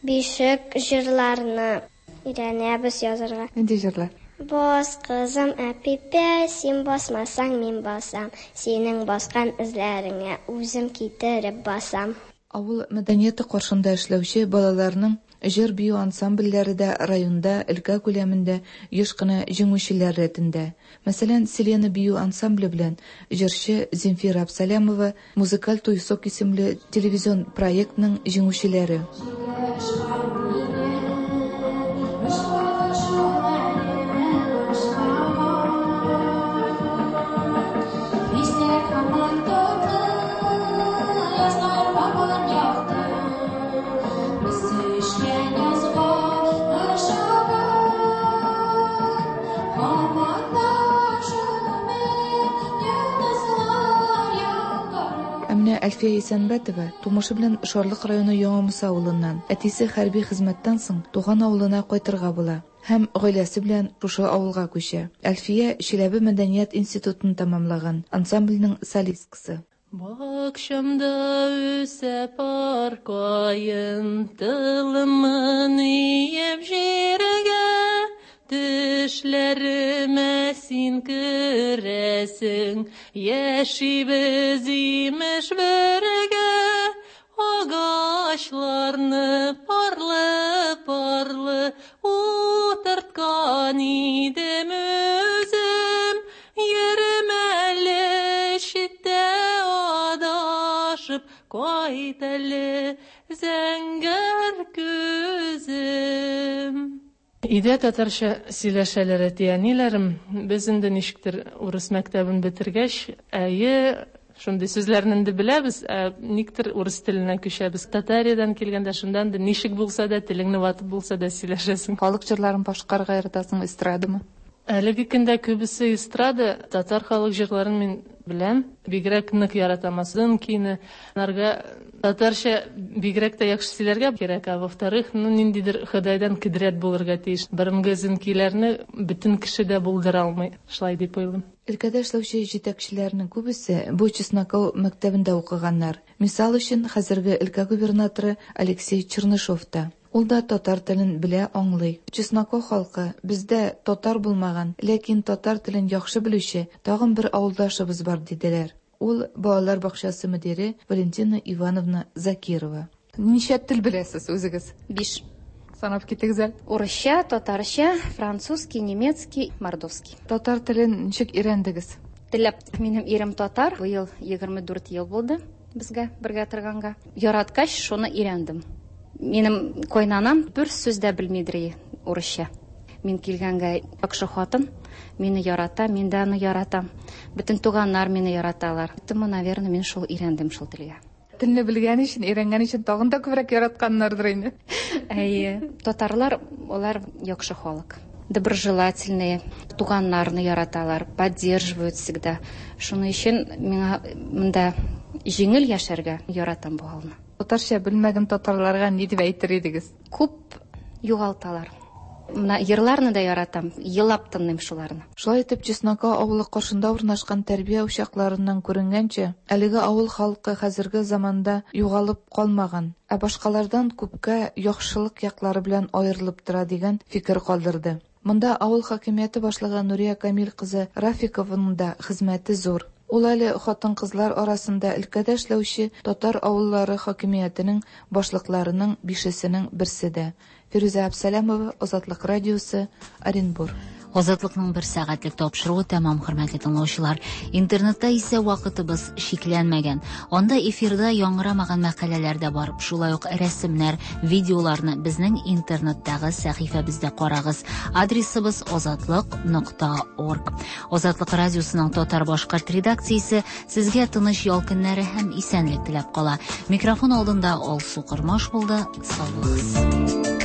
бишек җырларны өйрәнәбез язарга. Нинди җырлар? Бас, кызым, әпипә, син басмасаң, мин басам. Синең баскан эзләреңә үзем китереп басам. Авыл мәдәнияте каршында эшләүче балаларның җыр-бию ансамбльләре дә районда, өлкә күләмендә еш кына җиңүчеләр рәтендә. Мәсәлән, Селена бию ансамбле белән җырчы Земфира Абсалямова «Музыкаль туйсок» исемле телевизион проектның җиңүчеләре. Әлфия Исәнбәтова тумышы белән Шарлык районы Яңа Муса авылыннан. Әтисе хәрби хезмәттән соң туган авылына кайтырга була һәм гаиләсе белән шушы авылга күчә. Әлфия Чиләбе мәдәният институтын тәмамлаган, ансамбльнең солисткасы. Бакчамда үсә пар каен, тылымын иеп җиргә, төшләремә син керәсең, яшибез имеш бергә, агачларны парлы-парлы утырткан идем үзем, йөрем әле читтә адашып, кайт әле зәңгәр күзем. Өйдә татарча сөйләшәләр әти-әниләрем. Без инде ничектер урыс мәктәбен бетергәч, әйе, шундый сүзләрне инде беләбез, ә никтер урыс теленә күчәбез. Татариядән килгәндә шунда инде ничек булса да, телеңне ватып булса да сөйләшәсең. Халык җырларын башкарырга яратасың, эстрадамы? Әлеге көндә күбесе эстрада, татар халык җырларын мин беләм. Бигрәк нык яратам Азынкины. Аларга татарча бигрәк тә яхшы сөйләргә кирәк, а во-вторых, ну ниндидер Ходайдан кудрәт булырга тиеш. Борынгы зинкиләрне бөтен кеше дә булдыра алмый, шулай дип уйлыйм. Өлкәдә эшләүче җитәкчеләрнең күбесе бу Чесноков мәктәбендә укыганнар. Мисал өчен, хәзерге өлкә губернаторы Алексей Чернышов та. Ул да татар телен белә, аңлый. Чесноков халкы бездә татар булмаган, ләкин татар телен яхшы белүче тагын бер авылдашыбыз бар диделәр. Ул балалар бакчасы мөдире Валентина Ивановна Закирова. Ничә тел беләсез үзегез? Биш. Санап китегез әле. Урысча, татарча, французский, немецкий, мордовский. Татар телен ничек өйрәндегез? Теләп. Минем ирем татар. Быел егерме дүрт ел булды безгә бергә торганга. Яраткач, шуны өйрәндем. Минем кайнанам бер сүз дә белмидер урысча. Мин килгәнгә яхшы хатын, мине ярата, мин дә аны яратам. Бөтен туганнар мине яраталар. Поэтому, наверное, мин шул өйрәндем шул телгә. Телне белгән өчен, өйрәнгән өчен тагын да күбрәк яратканнардыр инде. Әйе, татарлар алар яхшы халык. Доброжелательные, туганнарны яраталар, поддерживают всегда. Шуның өчен миңа монда җиңел яшәргә, яратам бу халыкны. Татарча белмәгән татарларга ни дип әйтер идегез? Күп югалталар. Менә йырларны да яратам, елап тыңлыйм шуларны. Шулай итеп, Чеснока авылы каршында урнашкан тәрбия учакларыннан күренгәнчә, әлеге авыл халкы хәзерге заманда югалып калмаган, ә башкалардан күпкә яхшылык яклары белән аерылып тора дигән фикер калдырды. Монда авыл хакимияте башлыгы Нурия Камил кызы Рафикованың да хезмәте зур. Ул әле хатын-кызлар арасында өлкәдә эшләүче татар авыллары хакимиятенең башлыкларының бишесенең берсе дә. Фирүзә Әбсәләмова, Азатлык радиосы, Оренбур. Азатлыкның бер сәгатьлек тапшыруы тәмам, хөрмәтле тыңлаучылар. Интернетта исә вакытыбыз чикләнмәгән. Анда эфирда яңгырамаган мәкаләләр дә бар. Шулай ук рәсемнәр, видеоларны безнең интернеттагы сәхифәбездә карагыз. Адресыбыз азатлык нокта орг. Азатлык радиосының татар-башкорт редакциясе сезгә тыныч ял көннәре һәм исәнлек теләп кала. Микрофон алдында Алсу Кормаш булды. Сау булыгыз.